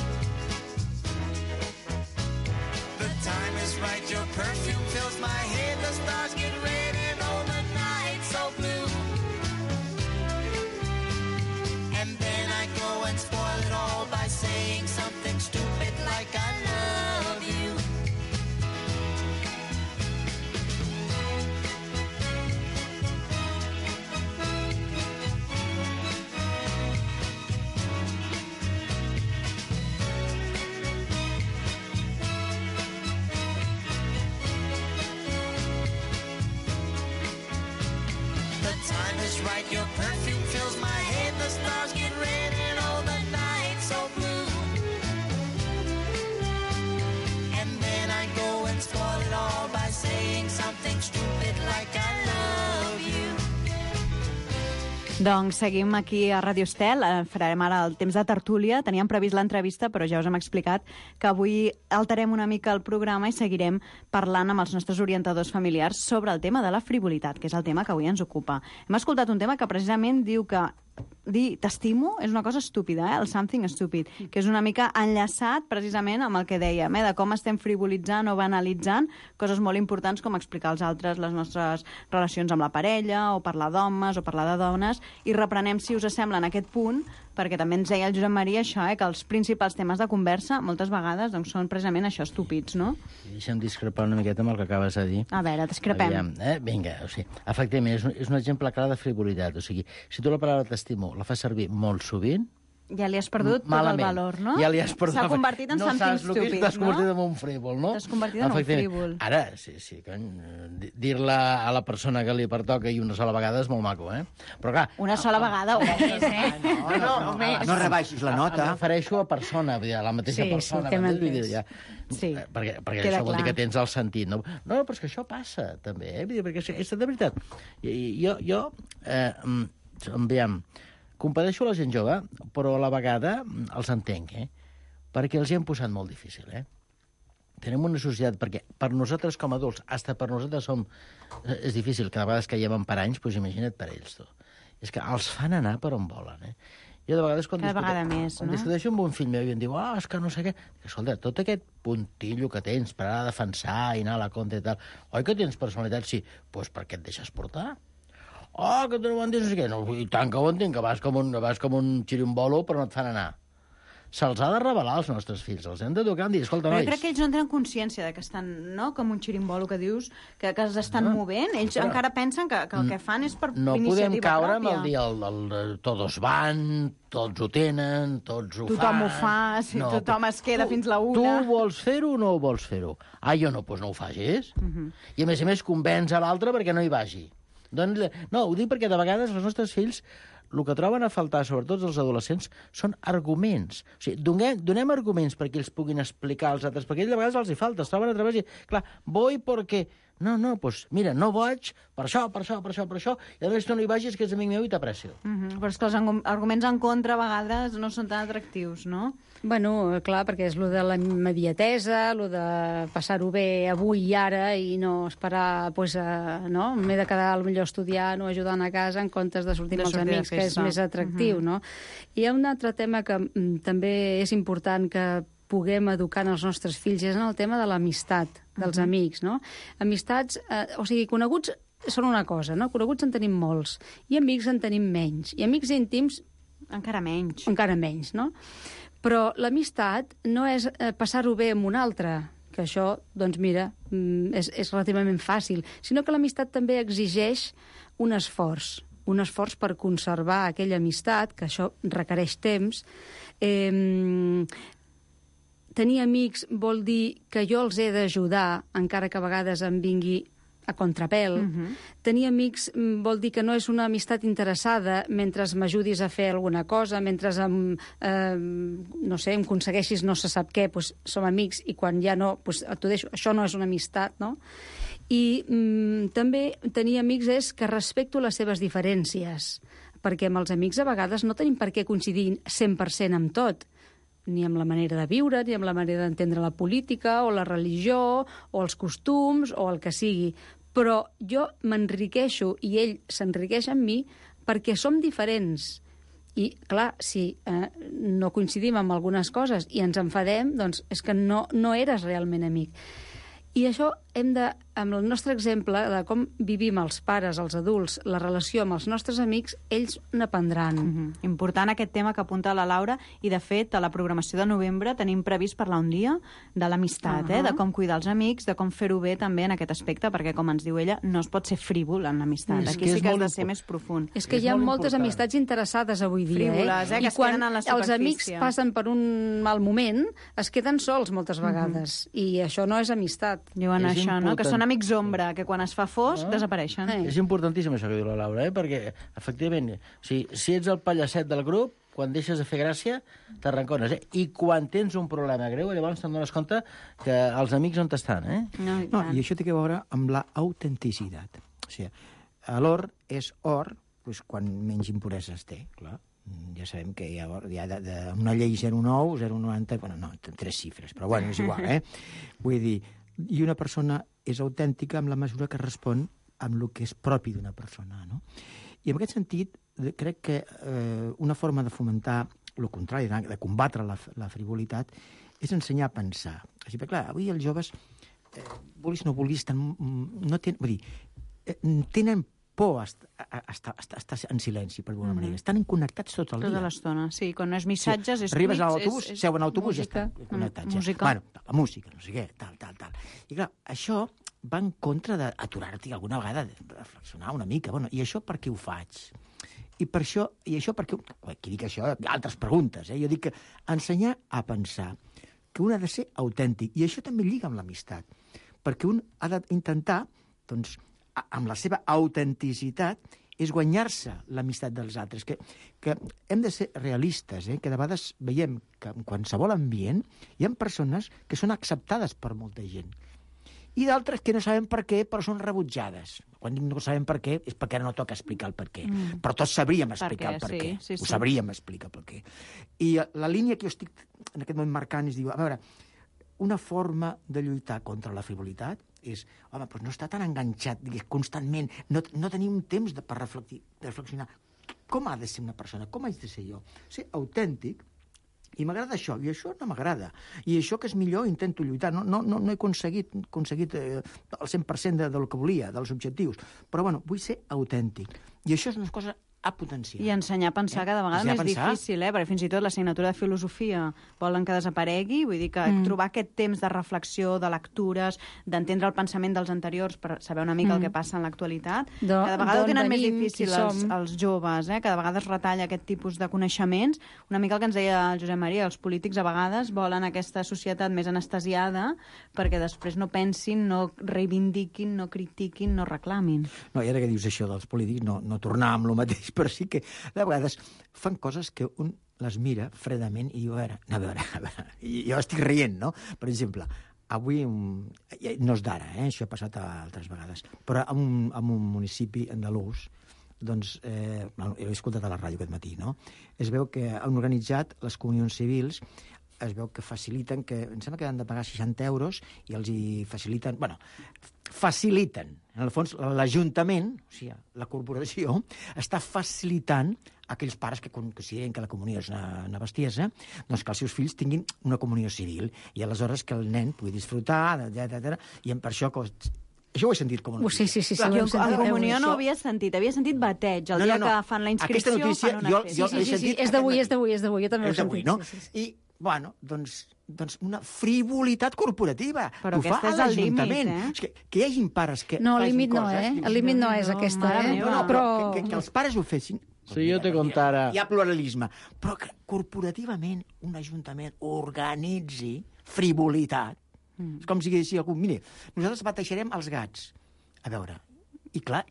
Speaker 11: The time is right, your perfume fills my head, the stars get red and oh, the night's so blue. And then I go and spoil it all by saying something stupid like I love you. Right, your perfume fills my head, the stars get red and oh, the night's so blue. And then I go and spoil it all by saying something stupid like I love you.
Speaker 9: Doncs seguim aquí a Ràdio Estel, farem ara el temps de tertúlia. Teníem previst l'entrevista, però ja us hem explicat que avui alterem una mica el programa i seguirem parlant amb els nostres orientadors familiars sobre el tema de la frivolitat, que és el tema que avui ens ocupa. Hem escoltat un tema que precisament diu que dir t'estimo és una cosa estúpida, el something stupid, que és una mica enllaçat precisament amb el que dèiem, de com estem frivolitzant o banalitzant coses molt importants com explicar als altres les nostres relacions amb la parella, o parlar d'homes, o parlar de dones, i reprenem, si us sembla, en aquest punt, perquè també ens deia el Josep Maria això, que els principals temes de conversa moltes vegades doncs, són precisament això, estúpids, no?
Speaker 3: Deixa'm discrepar una miqueta amb el que acabes de dir.
Speaker 9: A veure, discrepem.
Speaker 3: Aviam, vinga, o sigui, efectivament, és un exemple clar de frivolitat. O sigui, si tu la paraula t'estimo la fas servir molt sovint,
Speaker 9: ja li has perdut tot el valor, no?
Speaker 3: Ja li has perdut.
Speaker 9: S'ha convertit en something stupid, no?
Speaker 3: T'has convertit en un frívol, no?
Speaker 9: T'has convertit en un frívol.
Speaker 3: Ara, sí, cony, dir-la a la persona que li pertoca i una sola vegada és molt maco, Però clar...
Speaker 9: Una sola vegada o més,
Speaker 10: No rebaixis la nota.
Speaker 3: Em refereixo a persona, a la mateixa persona.
Speaker 9: Sí,
Speaker 3: perquè això vol dir que tens el sentit. No, però és que això passa, també, perquè és de veritat. Jo compadeixo la gent jove, però a la vegada els entenc, perquè els hi hem posat molt difícil, Tenim una societat, perquè per nosaltres com a adults, fins per nosaltres és difícil, cada vegada que lleven per anys, doncs imagina't per ells, tu. És que els fan anar per on volen, Jo de vegades, quan discuteixo amb un fill meu i em diu, és que no sé què... Escolta, tot aquest puntillo que tens per anar a defensar i anar a la contra i tal, oi que tens personalitat? Sí, doncs per què et deixes portar? Que tu no ho entens, no sé què. No, i tant que ho entenc, que vas com un xirimbolo, però no et fan anar. se'ls ha de revelar als nostres fills, els hem d'educar, hem de dir, escolta,
Speaker 9: Però
Speaker 3: nois...
Speaker 9: jo crec que ells no tenen consciència de que estan, no?, com un xirimbolo que dius, que es estan movent. Ells encara pensen que el que fan és per
Speaker 3: No podem
Speaker 9: iniciativa
Speaker 3: caure
Speaker 9: pròpia.
Speaker 3: amb el dir todos van, tots ho tenen, tots ho
Speaker 9: Tothom
Speaker 3: fan...
Speaker 9: ho fa, sí, tothom es queda fins la una.
Speaker 3: Tu vols fer-ho o no vols fer-ho? Ah, jo no, doncs no ho facis. I a més convenç a l'altre perquè no hi vagi. Doncs, no, ho dic perquè de vegades els nostres fills el que troben a faltar, sobretot els adolescents, són arguments. O sigui, donem arguments perquè ells puguin explicar als altres, perquè ells de vegades els hi falta, es troben a través i, clar, voy porque... No, doncs mira, no vaig per això, i a més tu no hi vagis, que és amic meu i t'aprecio.
Speaker 9: Però és que els arguments en contra a vegades no són tan atractius, no?
Speaker 2: Bueno, clar, perquè és lo de la immediatesa, lo de passar-ho bé avui i ara i no esperar, pues, no? M'he de quedar potser estudiant o ajudant a casa en comptes de sortir amb els amics, que és més atractiu, no? I hi ha un altre tema que també és important que puguem educar els nostres fills, és en el tema de l'amistat, dels amics, no? Amistats, o sigui, coneguts són una cosa, no? Coneguts en tenim molts, i amics en tenim menys, i amics íntims...
Speaker 9: Encara menys.
Speaker 2: Encara menys, no? Però l'amistat no és passar-ho bé amb un altre, que això, doncs mira, és relativament fàcil, sinó que l'amistat també exigeix un esforç per conservar aquella amistat, que això requereix temps. Tenir amics vol dir que jo els he d'ajudar, encara que a vegades em vingui a contrapèl. Tenir amics vol dir que no és una amistat interessada mentre m'ajudis a fer alguna cosa, mentre no sé, em aconsegueixis no se sap què, doncs som amics, i quan ja no, doncs t'ho deixo. Això no és una amistat, no? I també tenir amics és que respecto les seves diferències, perquè amb els amics a vegades no tenim per què coincidir 100% amb tot, ni amb la manera de viure, ni amb la manera d'entendre la política, o la religió, o els costums, o el que sigui. Però jo m'enriqueixo i ell s'enriqueix amb mi perquè som diferents. I, clar, si no coincidim amb algunes coses i ens enfadem, doncs és que no eres realment amic. I això hem de, amb el nostre exemple de com vivim els pares, els adults, la relació amb els nostres amics, ells n'aprendran.
Speaker 9: Important aquest tema que apunta la Laura, i de fet a la programació de novembre tenim previst parlar un dia de l'amistat, de com cuidar els amics, de com fer-ho bé també en aquest aspecte, perquè com ens diu ella, no es pot ser frívol en l'amistat. Aquí sí que has de ser més profund.
Speaker 2: És que hi ha moltes amistats interessades avui dia,
Speaker 9: frívoles, que es queden en la superfície.
Speaker 2: Els amics passen per un mal moment, es queden sols moltes vegades, i això no és amistat.
Speaker 9: Diuen això, no? Que són amics ombra, que quan es fa fosc desapareixen.
Speaker 3: És importantíssim això que diu la Laura, perquè, efectivament, si ets el pallacet del grup, quan deixes de fer gràcia, t'arrancones. I quan tens un problema greu, llavors te'n dones compte que els amics on estan.
Speaker 10: I això té a veure amb l'autenticitat. O sigui, l'or és or quan menys impureses té, clar. Ja sabem que hi ha una llei 0,9, 0,90... Bueno, no, 3 xifres, però bueno, és igual, Vull dir, i una persona és autèntica en la mesura que respon amb el que és propi d'una persona, no? I en aquest sentit, crec que una forma de fomentar el contrari, de combatre la frivolitat, és ensenyar a pensar. Així, perquè, clar, avui els joves, vulguis o no vulguis, tenen por a estar en silenci, per alguna manera. Estan connectats tot el dia.
Speaker 9: Tota l'estona, sí. Quan no és missatges, és
Speaker 10: arribes
Speaker 9: tuits,
Speaker 10: a l'autobús, seuen a l'autobús i ja estan connectats.
Speaker 9: Música.
Speaker 10: Bueno, la música, no sé què, tal. I clar, això va en contra d'aturar-t'hi alguna vegada, de reflexionar una mica. Bueno, i això per què ho faig? I això per què... Qui dic això? Altres preguntes, Jo dic que ensenyar a pensar, que un ha de ser autèntic, i això també lliga amb l'amistat, perquè un ha d'intentar, doncs, amb la seva autenticitat, és guanyar-se l'amistat dels altres, que hem de ser realistes, que de vegades veiem que en qualsevol ambient hi ha persones que són acceptades per molta gent, i d'altres que no sabem per què, però són rebutjades. Quan no sabem per què, és perquè no toca explicar el per què. Però tots sabríem explicar el per què.
Speaker 9: Sí.
Speaker 10: Ho sabríem explicar el per què. I la línia que jo estic en aquest moment marcant és dir, a veure, una forma de lluitar contra la frivolitat és, home, doncs no està tan enganxat constantment, no tenim temps per reflexionar. Com ha de ser una persona? Com haig de ser jo? Ser autèntic, i m'agrada això, i això no m'agrada. I això que és millor intento lluitar. No he aconseguit el 100% del que volia, dels objectius. Però, bueno, vull ser autèntic. I això és una cosa a potenciar.
Speaker 9: I ensenyar a pensar cada vegada
Speaker 10: Ensenyar a
Speaker 9: més
Speaker 10: pensar.
Speaker 9: difícil, perquè fins i tot l'assignatura de filosofia volen que desaparegui, vull dir que trobar aquest temps de reflexió, de lectures, d'entendre el pensament dels anteriors per saber una mica el que passa en l'actualitat, cada vegada ho tenen més difícil els joves, cada vegada es retalla aquest tipus de coneixements. Una mica el que ens deia el Josep Maria, els polítics a vegades volen aquesta societat més anestesiada perquè després no pensin, no reivindiquin, no critiquin, no reclamin.
Speaker 10: No, i ara que dius això dels polítics, no tornar amb el mateix, però sí que de vegades fan coses que un les mira fredament i diu, a veure, jo estic rient, no? Per exemple, avui, no és d'ara, això ha passat altres vegades, però en un municipi andalús, doncs, he escoltat a la ràdio aquest matí, no? Es veu que han organitzat les comunions civils, es veu que faciliten, em sembla que han de pagar 60 euros i els hi faciliten, faciliten. En el fons, l'Ajuntament, o sigui, la corporació, està facilitant a aquells pares que consideren que la comunió és una bestiesa, doncs que els seus fills tinguin una comunió civil i aleshores que el nen pugui disfrutar, etc. I per això... Això ho he sentit com a notícia.
Speaker 2: Sí.
Speaker 9: Jo a comunió no ho havia sentit bateig. El dia que fan la inscripció fan una festa.
Speaker 2: Sí, és d'avui, jo també ho he sentit.
Speaker 10: No? I, doncs una frivolitat corporativa.
Speaker 9: Però
Speaker 10: ho fa
Speaker 9: aquest és el límit,
Speaker 10: que hi hagi pares que
Speaker 2: no,
Speaker 10: facin
Speaker 2: límit no,
Speaker 10: coses...
Speaker 2: El límit no és aquesta,
Speaker 10: però que els pares ho fessin...
Speaker 3: Sí, jo te contara...
Speaker 10: Hi ha pluralisme, però que corporativament un ajuntament organitzi frivolitat. És com si diguessin algú, mire, nosaltres bateixarem els gats. A veure, i clar,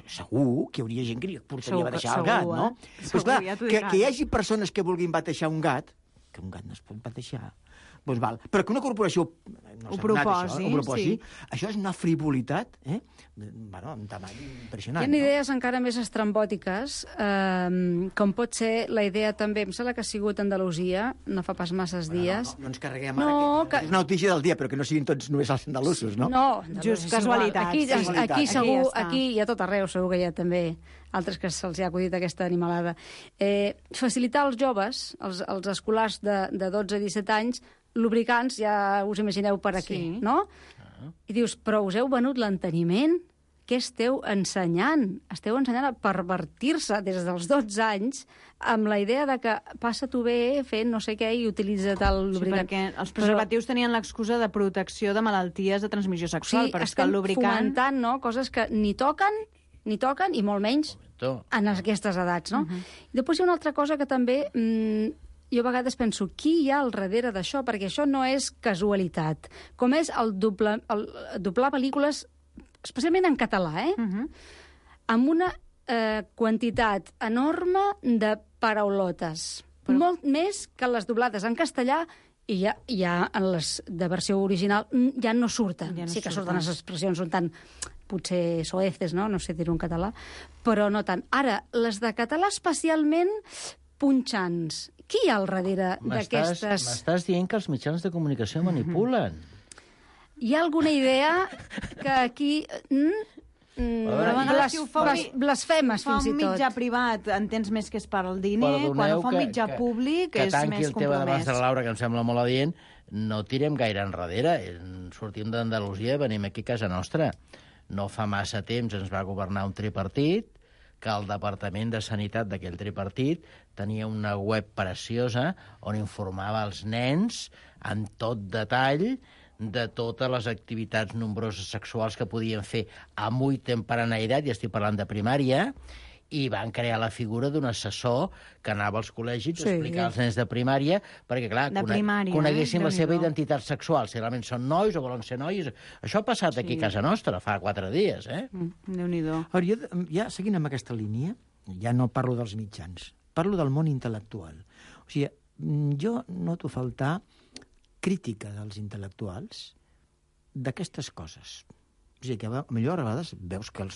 Speaker 10: segur que hi hauria gent que li portaria a batejar el gat, no? Però clar, que hi hagi persones que vulguin batejar un gat, que un gat no es pot batejar, doncs val. Però que una corporació
Speaker 9: ho proposi,
Speaker 10: això és una frivolitat, amb tamany impressionant.
Speaker 2: Hi ha idees encara més estrambòtiques, com pot ser la idea també, em sembla que ha sigut Andalusia, no fa pas masses dies.
Speaker 10: No ens carreguem ara, que és una notícia del dia, però que no siguin tots només els andalusos, no?
Speaker 2: No,
Speaker 9: just casualitat.
Speaker 2: Aquí segur, aquí i a tot arreu segur que hi ha també altres que se'ls ha acudit aquesta animalada. Facilitar als joves, als escolars de 12 a 17 anys, lubricants, ja us imagineu per aquí, no? I dius, però us heu venut l'enteniment? Què esteu ensenyant? Esteu ensenyant a pervertir-se des dels 12 anys amb la idea de que passa-t'ho bé fent no sé què i utilitza't el lubricant.
Speaker 9: Sí, perquè els preservatius tenien l'excusa de protecció de malalties de transmissió sexual, però és que el lubricant...
Speaker 2: fomentant, no?, coses que ni toquen i molt menys en aquestes edats, no? I després hi ha una altra cosa que també... jo a vegades penso, qui hi ha al darrere d'això? Perquè això no és casualitat. Com és el doblar pel·lícules, especialment en català, amb una quantitat enorme de paraulotes. Molt més que les doblades en castellà i ja en les de versió original ja no surten. Sí que surten les expressions, són tan potser soeces, no sé dir-ho en català, però no tant. Ara, les de català especialment punxants. Qui hi ha al darrere d'aquestes...
Speaker 3: M'estàs dient que els mitjans de comunicació manipulen.
Speaker 2: Hi ha alguna idea que aquí... blasfemes, fins i tot.
Speaker 9: Fa un mitjà privat, entens més que és per al diner, quan ho fa un mitjà públic és més compromès.
Speaker 3: Que tanqui el tema d'abans de la Laura, que em sembla molt adient, no tirem gaire enrere. Sortim d'Andalusia i venim aquí a casa nostra. No fa massa temps ens va governar un tripartit, que el Departament de Sanitat d'aquell tripartit tenia una web preciosa on informava els nens en tot detall de totes les activitats nombroses sexuals que podien fer amb ull temperaneirat, i estic parlant de primària, i van crear la figura d'un assessor que anava als col·legis a explicar als nens de primària, perquè, clar, coneguessin la seva identitat sexual, si realment són nois o volen ser nois. Això ha passat aquí a casa nostra fa 4 dies,
Speaker 9: Déu-n'hi-do.
Speaker 10: Ja seguint amb aquesta línia, ja no parlo dels mitjans, parlo del món intel·lectual. O sigui, jo noto faltar crítica dels intel·lectuals d'aquestes coses. O sigui, que millor a vegades veus que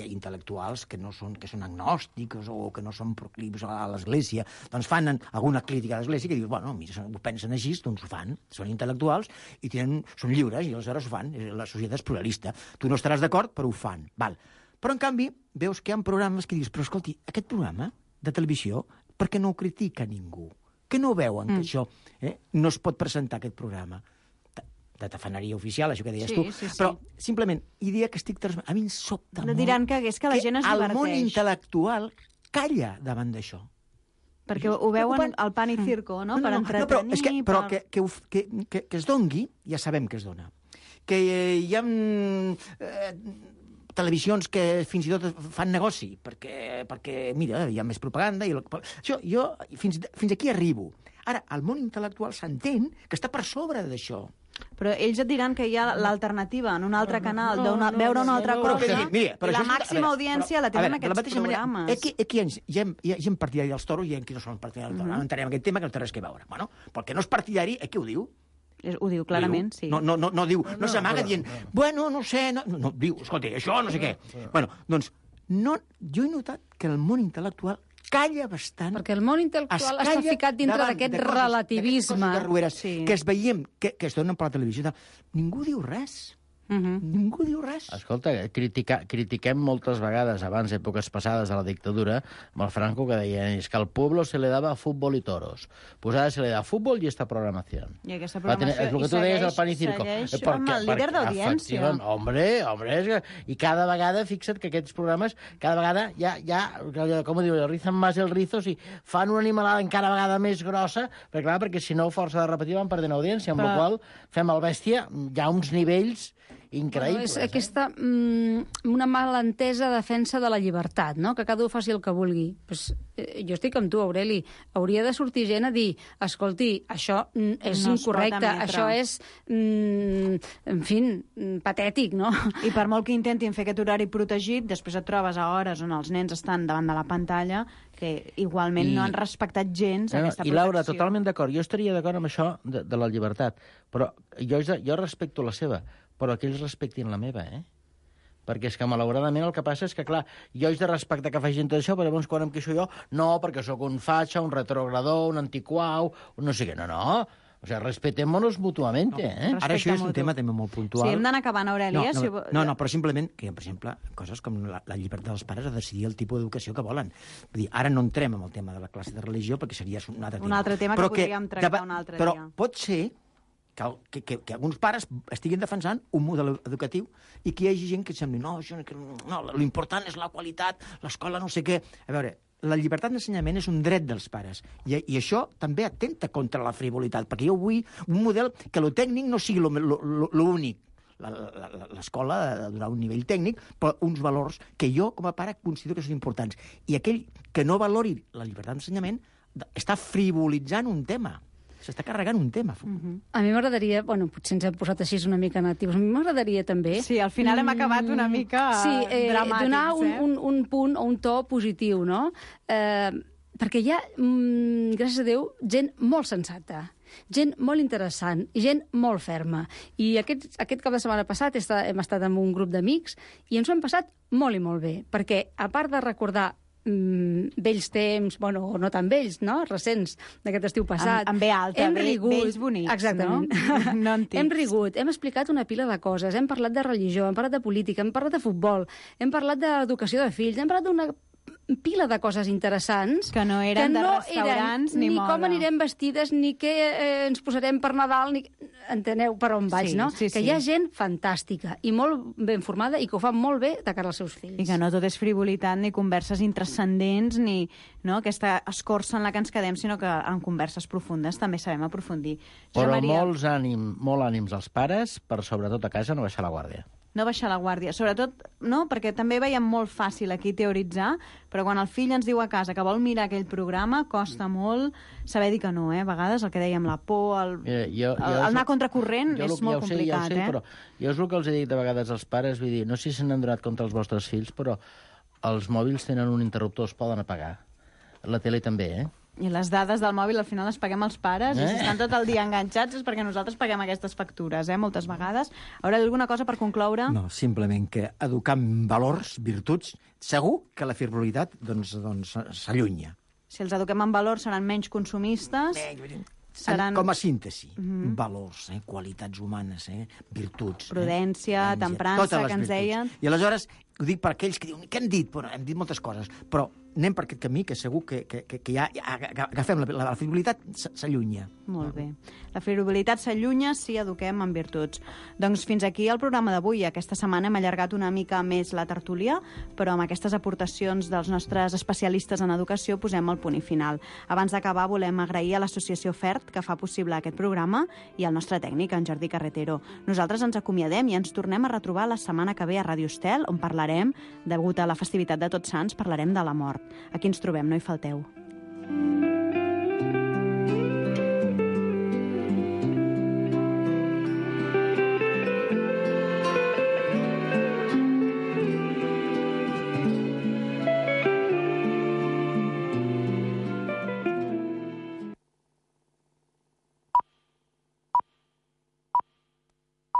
Speaker 10: intel·lectuals que són agnòstics o que no són proclius a l'Església, doncs fan alguna crítica a l'Església que diuen, bueno, mira, ho pensen així, doncs ho fan, són intel·lectuals i són lliures i aleshores ho fan, la societat és pluralista. Tu no estaràs d'acord, però ho fan. Val. Però, en canvi, veus que hi ha programes que dius, però escolti, aquest programa de televisió, per què no ho critica ningú? Que no veuen que això no es pot presentar, aquest programa? De tafaneria oficial, això que deies tu, però simplement, idea que estic transmetent, a mi em sobta molt
Speaker 9: diran que és que la gent es diverteix.
Speaker 10: El món intel·lectual calla davant d'això.
Speaker 9: Perquè ho veuen al pan i circo, no? Per entretenir...
Speaker 10: Però que es dongui, ja sabem que es dona. Que hi ha televisions que fins i tot fan negoci, perquè mira, hi ha més propaganda... Això, jo fins aquí arribo. Ara, el món intel·lectual s'entén que està per sobre d'això.
Speaker 9: Però ells et diran que hi ha l'alternativa en un altre canal, veure una altra cosa, i la màxima audiència la tenen aquests programes.
Speaker 10: Aquí hi ha gent partidari dels toros i hi ha qui no són partidari dels toros. No entenem aquest tema, que no té res a veure. Bueno, perquè no és partidari, aquí ho diu.
Speaker 9: Ho diu clarament, sí.
Speaker 10: No diu, no s'amaga dient, bueno, no sé, no, diu, escolta, això no sé què. Bueno, doncs, jo he notat que el món intel·lectual calla bastant.
Speaker 2: Perquè el món intel·lectual està ficat dintre d'aquest relativisme.
Speaker 10: Que es veiem, que es donen per la televisió. Ningú diu res. Ningú diu res.
Speaker 3: Escolta, critiquem moltes vegades, abans, èpoques passades de la dictadura, amb el Franco, que deia és que al pueblo se le daba fútbol y toros. Pues ara se le da fútbol y esta programación.
Speaker 9: I aquesta programació,
Speaker 3: és el que tu deies al pan i circo.
Speaker 9: Segueix amb el líder d'audiència.
Speaker 3: Hombre, i cada vegada, fixa't que aquests programes, cada vegada com ho diu, rizan más el rizo, si fan una animalada encara vegada més grossa, perquè si no, força de repetir, van perdent audiència, amb la qual fem el bèstia, hi ha uns nivells increïbles.
Speaker 2: És aquesta una malentesa defensa de la llibertat, no? Que cada un faci el que vulgui. Pues, jo estic amb tu, Aureli. Hauria de sortir gent a dir, escolti, això és incorrecte, això és, en fi, patètic, no?
Speaker 9: I per molt que intentin fer aquest horari protegit, després et trobes a hores on els nens estan davant de la pantalla que igualment no han respectat gens aquesta protecció.
Speaker 3: I Laura, totalment d'acord. Jo estaria d'acord amb això de la llibertat, però jo respecto la seva, però que ells respectin la meva, Perquè és que, malauradament, el que passa és que, clar, jo he de respectar que facin tot això, però llavors, quan em queixo jo, no, perquè sóc un fatxa, un retrogrador, un antiquau, un no sé què, no. O sigui, respetémonos mutuamente,
Speaker 10: Ara això és un tema també molt puntual.
Speaker 9: Sí, hem d'anar acabant, Aurelia.
Speaker 10: No, però simplement que, per exemple, coses com la llibertat dels pares a decidir el tipus d'educació que volen. Vull dir, ara no entrem en el tema de la classe de religió, perquè seria un altre tema.
Speaker 9: Un altre tema que podríem tractar un altre dia.
Speaker 10: Però pot ser que alguns pares estiguin defensant un model educatiu i que hi hagi gent que sembli no, l'important és la qualitat, l'escola no sé què. A veure, la llibertat d'ensenyament és un dret dels pares i això també atenta contra la frivolitat, perquè jo vull un model que lo tècnic no sigui l'únic. L'escola ha de donar un nivell tècnic, però uns valors que jo, com a pare, considero que són importants. I aquell que no valori la llibertat d'ensenyament està frivolitzant un tema. S'està carregant un tema.
Speaker 2: A mi m'agradaria, potser ens hem posat així una mica natius, a mi m'agradaria també...
Speaker 9: Sí, al final hem acabat una mica dramàtics.
Speaker 2: Donar un punt o un to positiu, no? Perquè hi ha, gràcies a Déu, gent molt sensata, gent molt interessant i gent molt ferma. I aquest cap de setmana passat hem estat amb un grup d'amics i ens ho hem passat molt i molt bé, perquè a part de recordar vells temps, o no tan vells, no? Recents, d'aquest estiu passat.
Speaker 9: Amb B alta, vells bonics,
Speaker 2: exactament.
Speaker 9: No antics.
Speaker 2: Hem rigut, hem explicat una pila de coses, hem parlat de religió, hem parlat de política, hem parlat de futbol, hem parlat d'educació de fills, hem parlat d'una pila de coses interessants
Speaker 9: que no eren de restaurants ni moda.
Speaker 2: Ni com anirem vestides, ni què ens posarem per Nadal, ni... Enteneu per on vaig, no?
Speaker 9: Sí.
Speaker 2: Que hi ha gent fantàstica i molt ben formada i que ho fa molt bé de cara als seus fills.
Speaker 9: I que no tot és frivolitat ni converses intranscendents ni aquesta escorça en la que ens quedem, sinó que en converses profundes també sabem aprofundir.
Speaker 3: Però molt ànims als pares per, sobretot a casa, no baixar la guàrdia.
Speaker 9: No baixar la guàrdia. Sobretot, perquè també veiem molt fàcil aquí teoritzar, però quan el fill ens diu a casa que vol mirar aquell programa, costa molt saber dir que no, A vegades el que dèiem, la por, el anar contracorrent és molt complicat,
Speaker 3: però jo és el que els he dit de vegades als pares, vull dir, no sé si se n'han donat compte els vostres fills, però els mòbils tenen un interruptor, es poden apagar. La tele també,
Speaker 9: I les dades del mòbil al final les paguem els pares i si estan tot el dia enganxats és perquè nosaltres paguem aquestes factures, moltes vegades. Haurà alguna cosa per concloure?
Speaker 10: No, simplement que educar en valors, virtuts, segur que la frivolitat s'allunya.
Speaker 9: Si els eduquem en valors seran menys consumistes... Seran...
Speaker 10: Com a síntesi, valors, qualitats humanes, virtuts...
Speaker 9: Prudència, temprança, que ens deien...
Speaker 10: I aleshores, ho dic per aquells que diuen, què han dit? Bueno, hem dit moltes coses, però anem per aquest camí, que segur que ja agafem la frivolitat, s'allunya.
Speaker 9: Molt bé. La frivolitat s'allunya si eduquem en virtuts. Doncs fins aquí el programa d'avui. Aquesta setmana hem allargat una mica més la tertúlia, però amb aquestes aportacions dels nostres especialistes en educació posem el punt i final. Abans d'acabar, volem agrair a l'Associació FERT, que fa possible aquest programa, i al nostre tècnic, en Jordi Carretero. Nosaltres ens acomiadem i ens tornem a retrobar la setmana que ve a Ràdio Estel, on parlarem, degut a la festivitat de Tots Sants, parlarem de la mort. Aquí ens trobem, no hi falteu.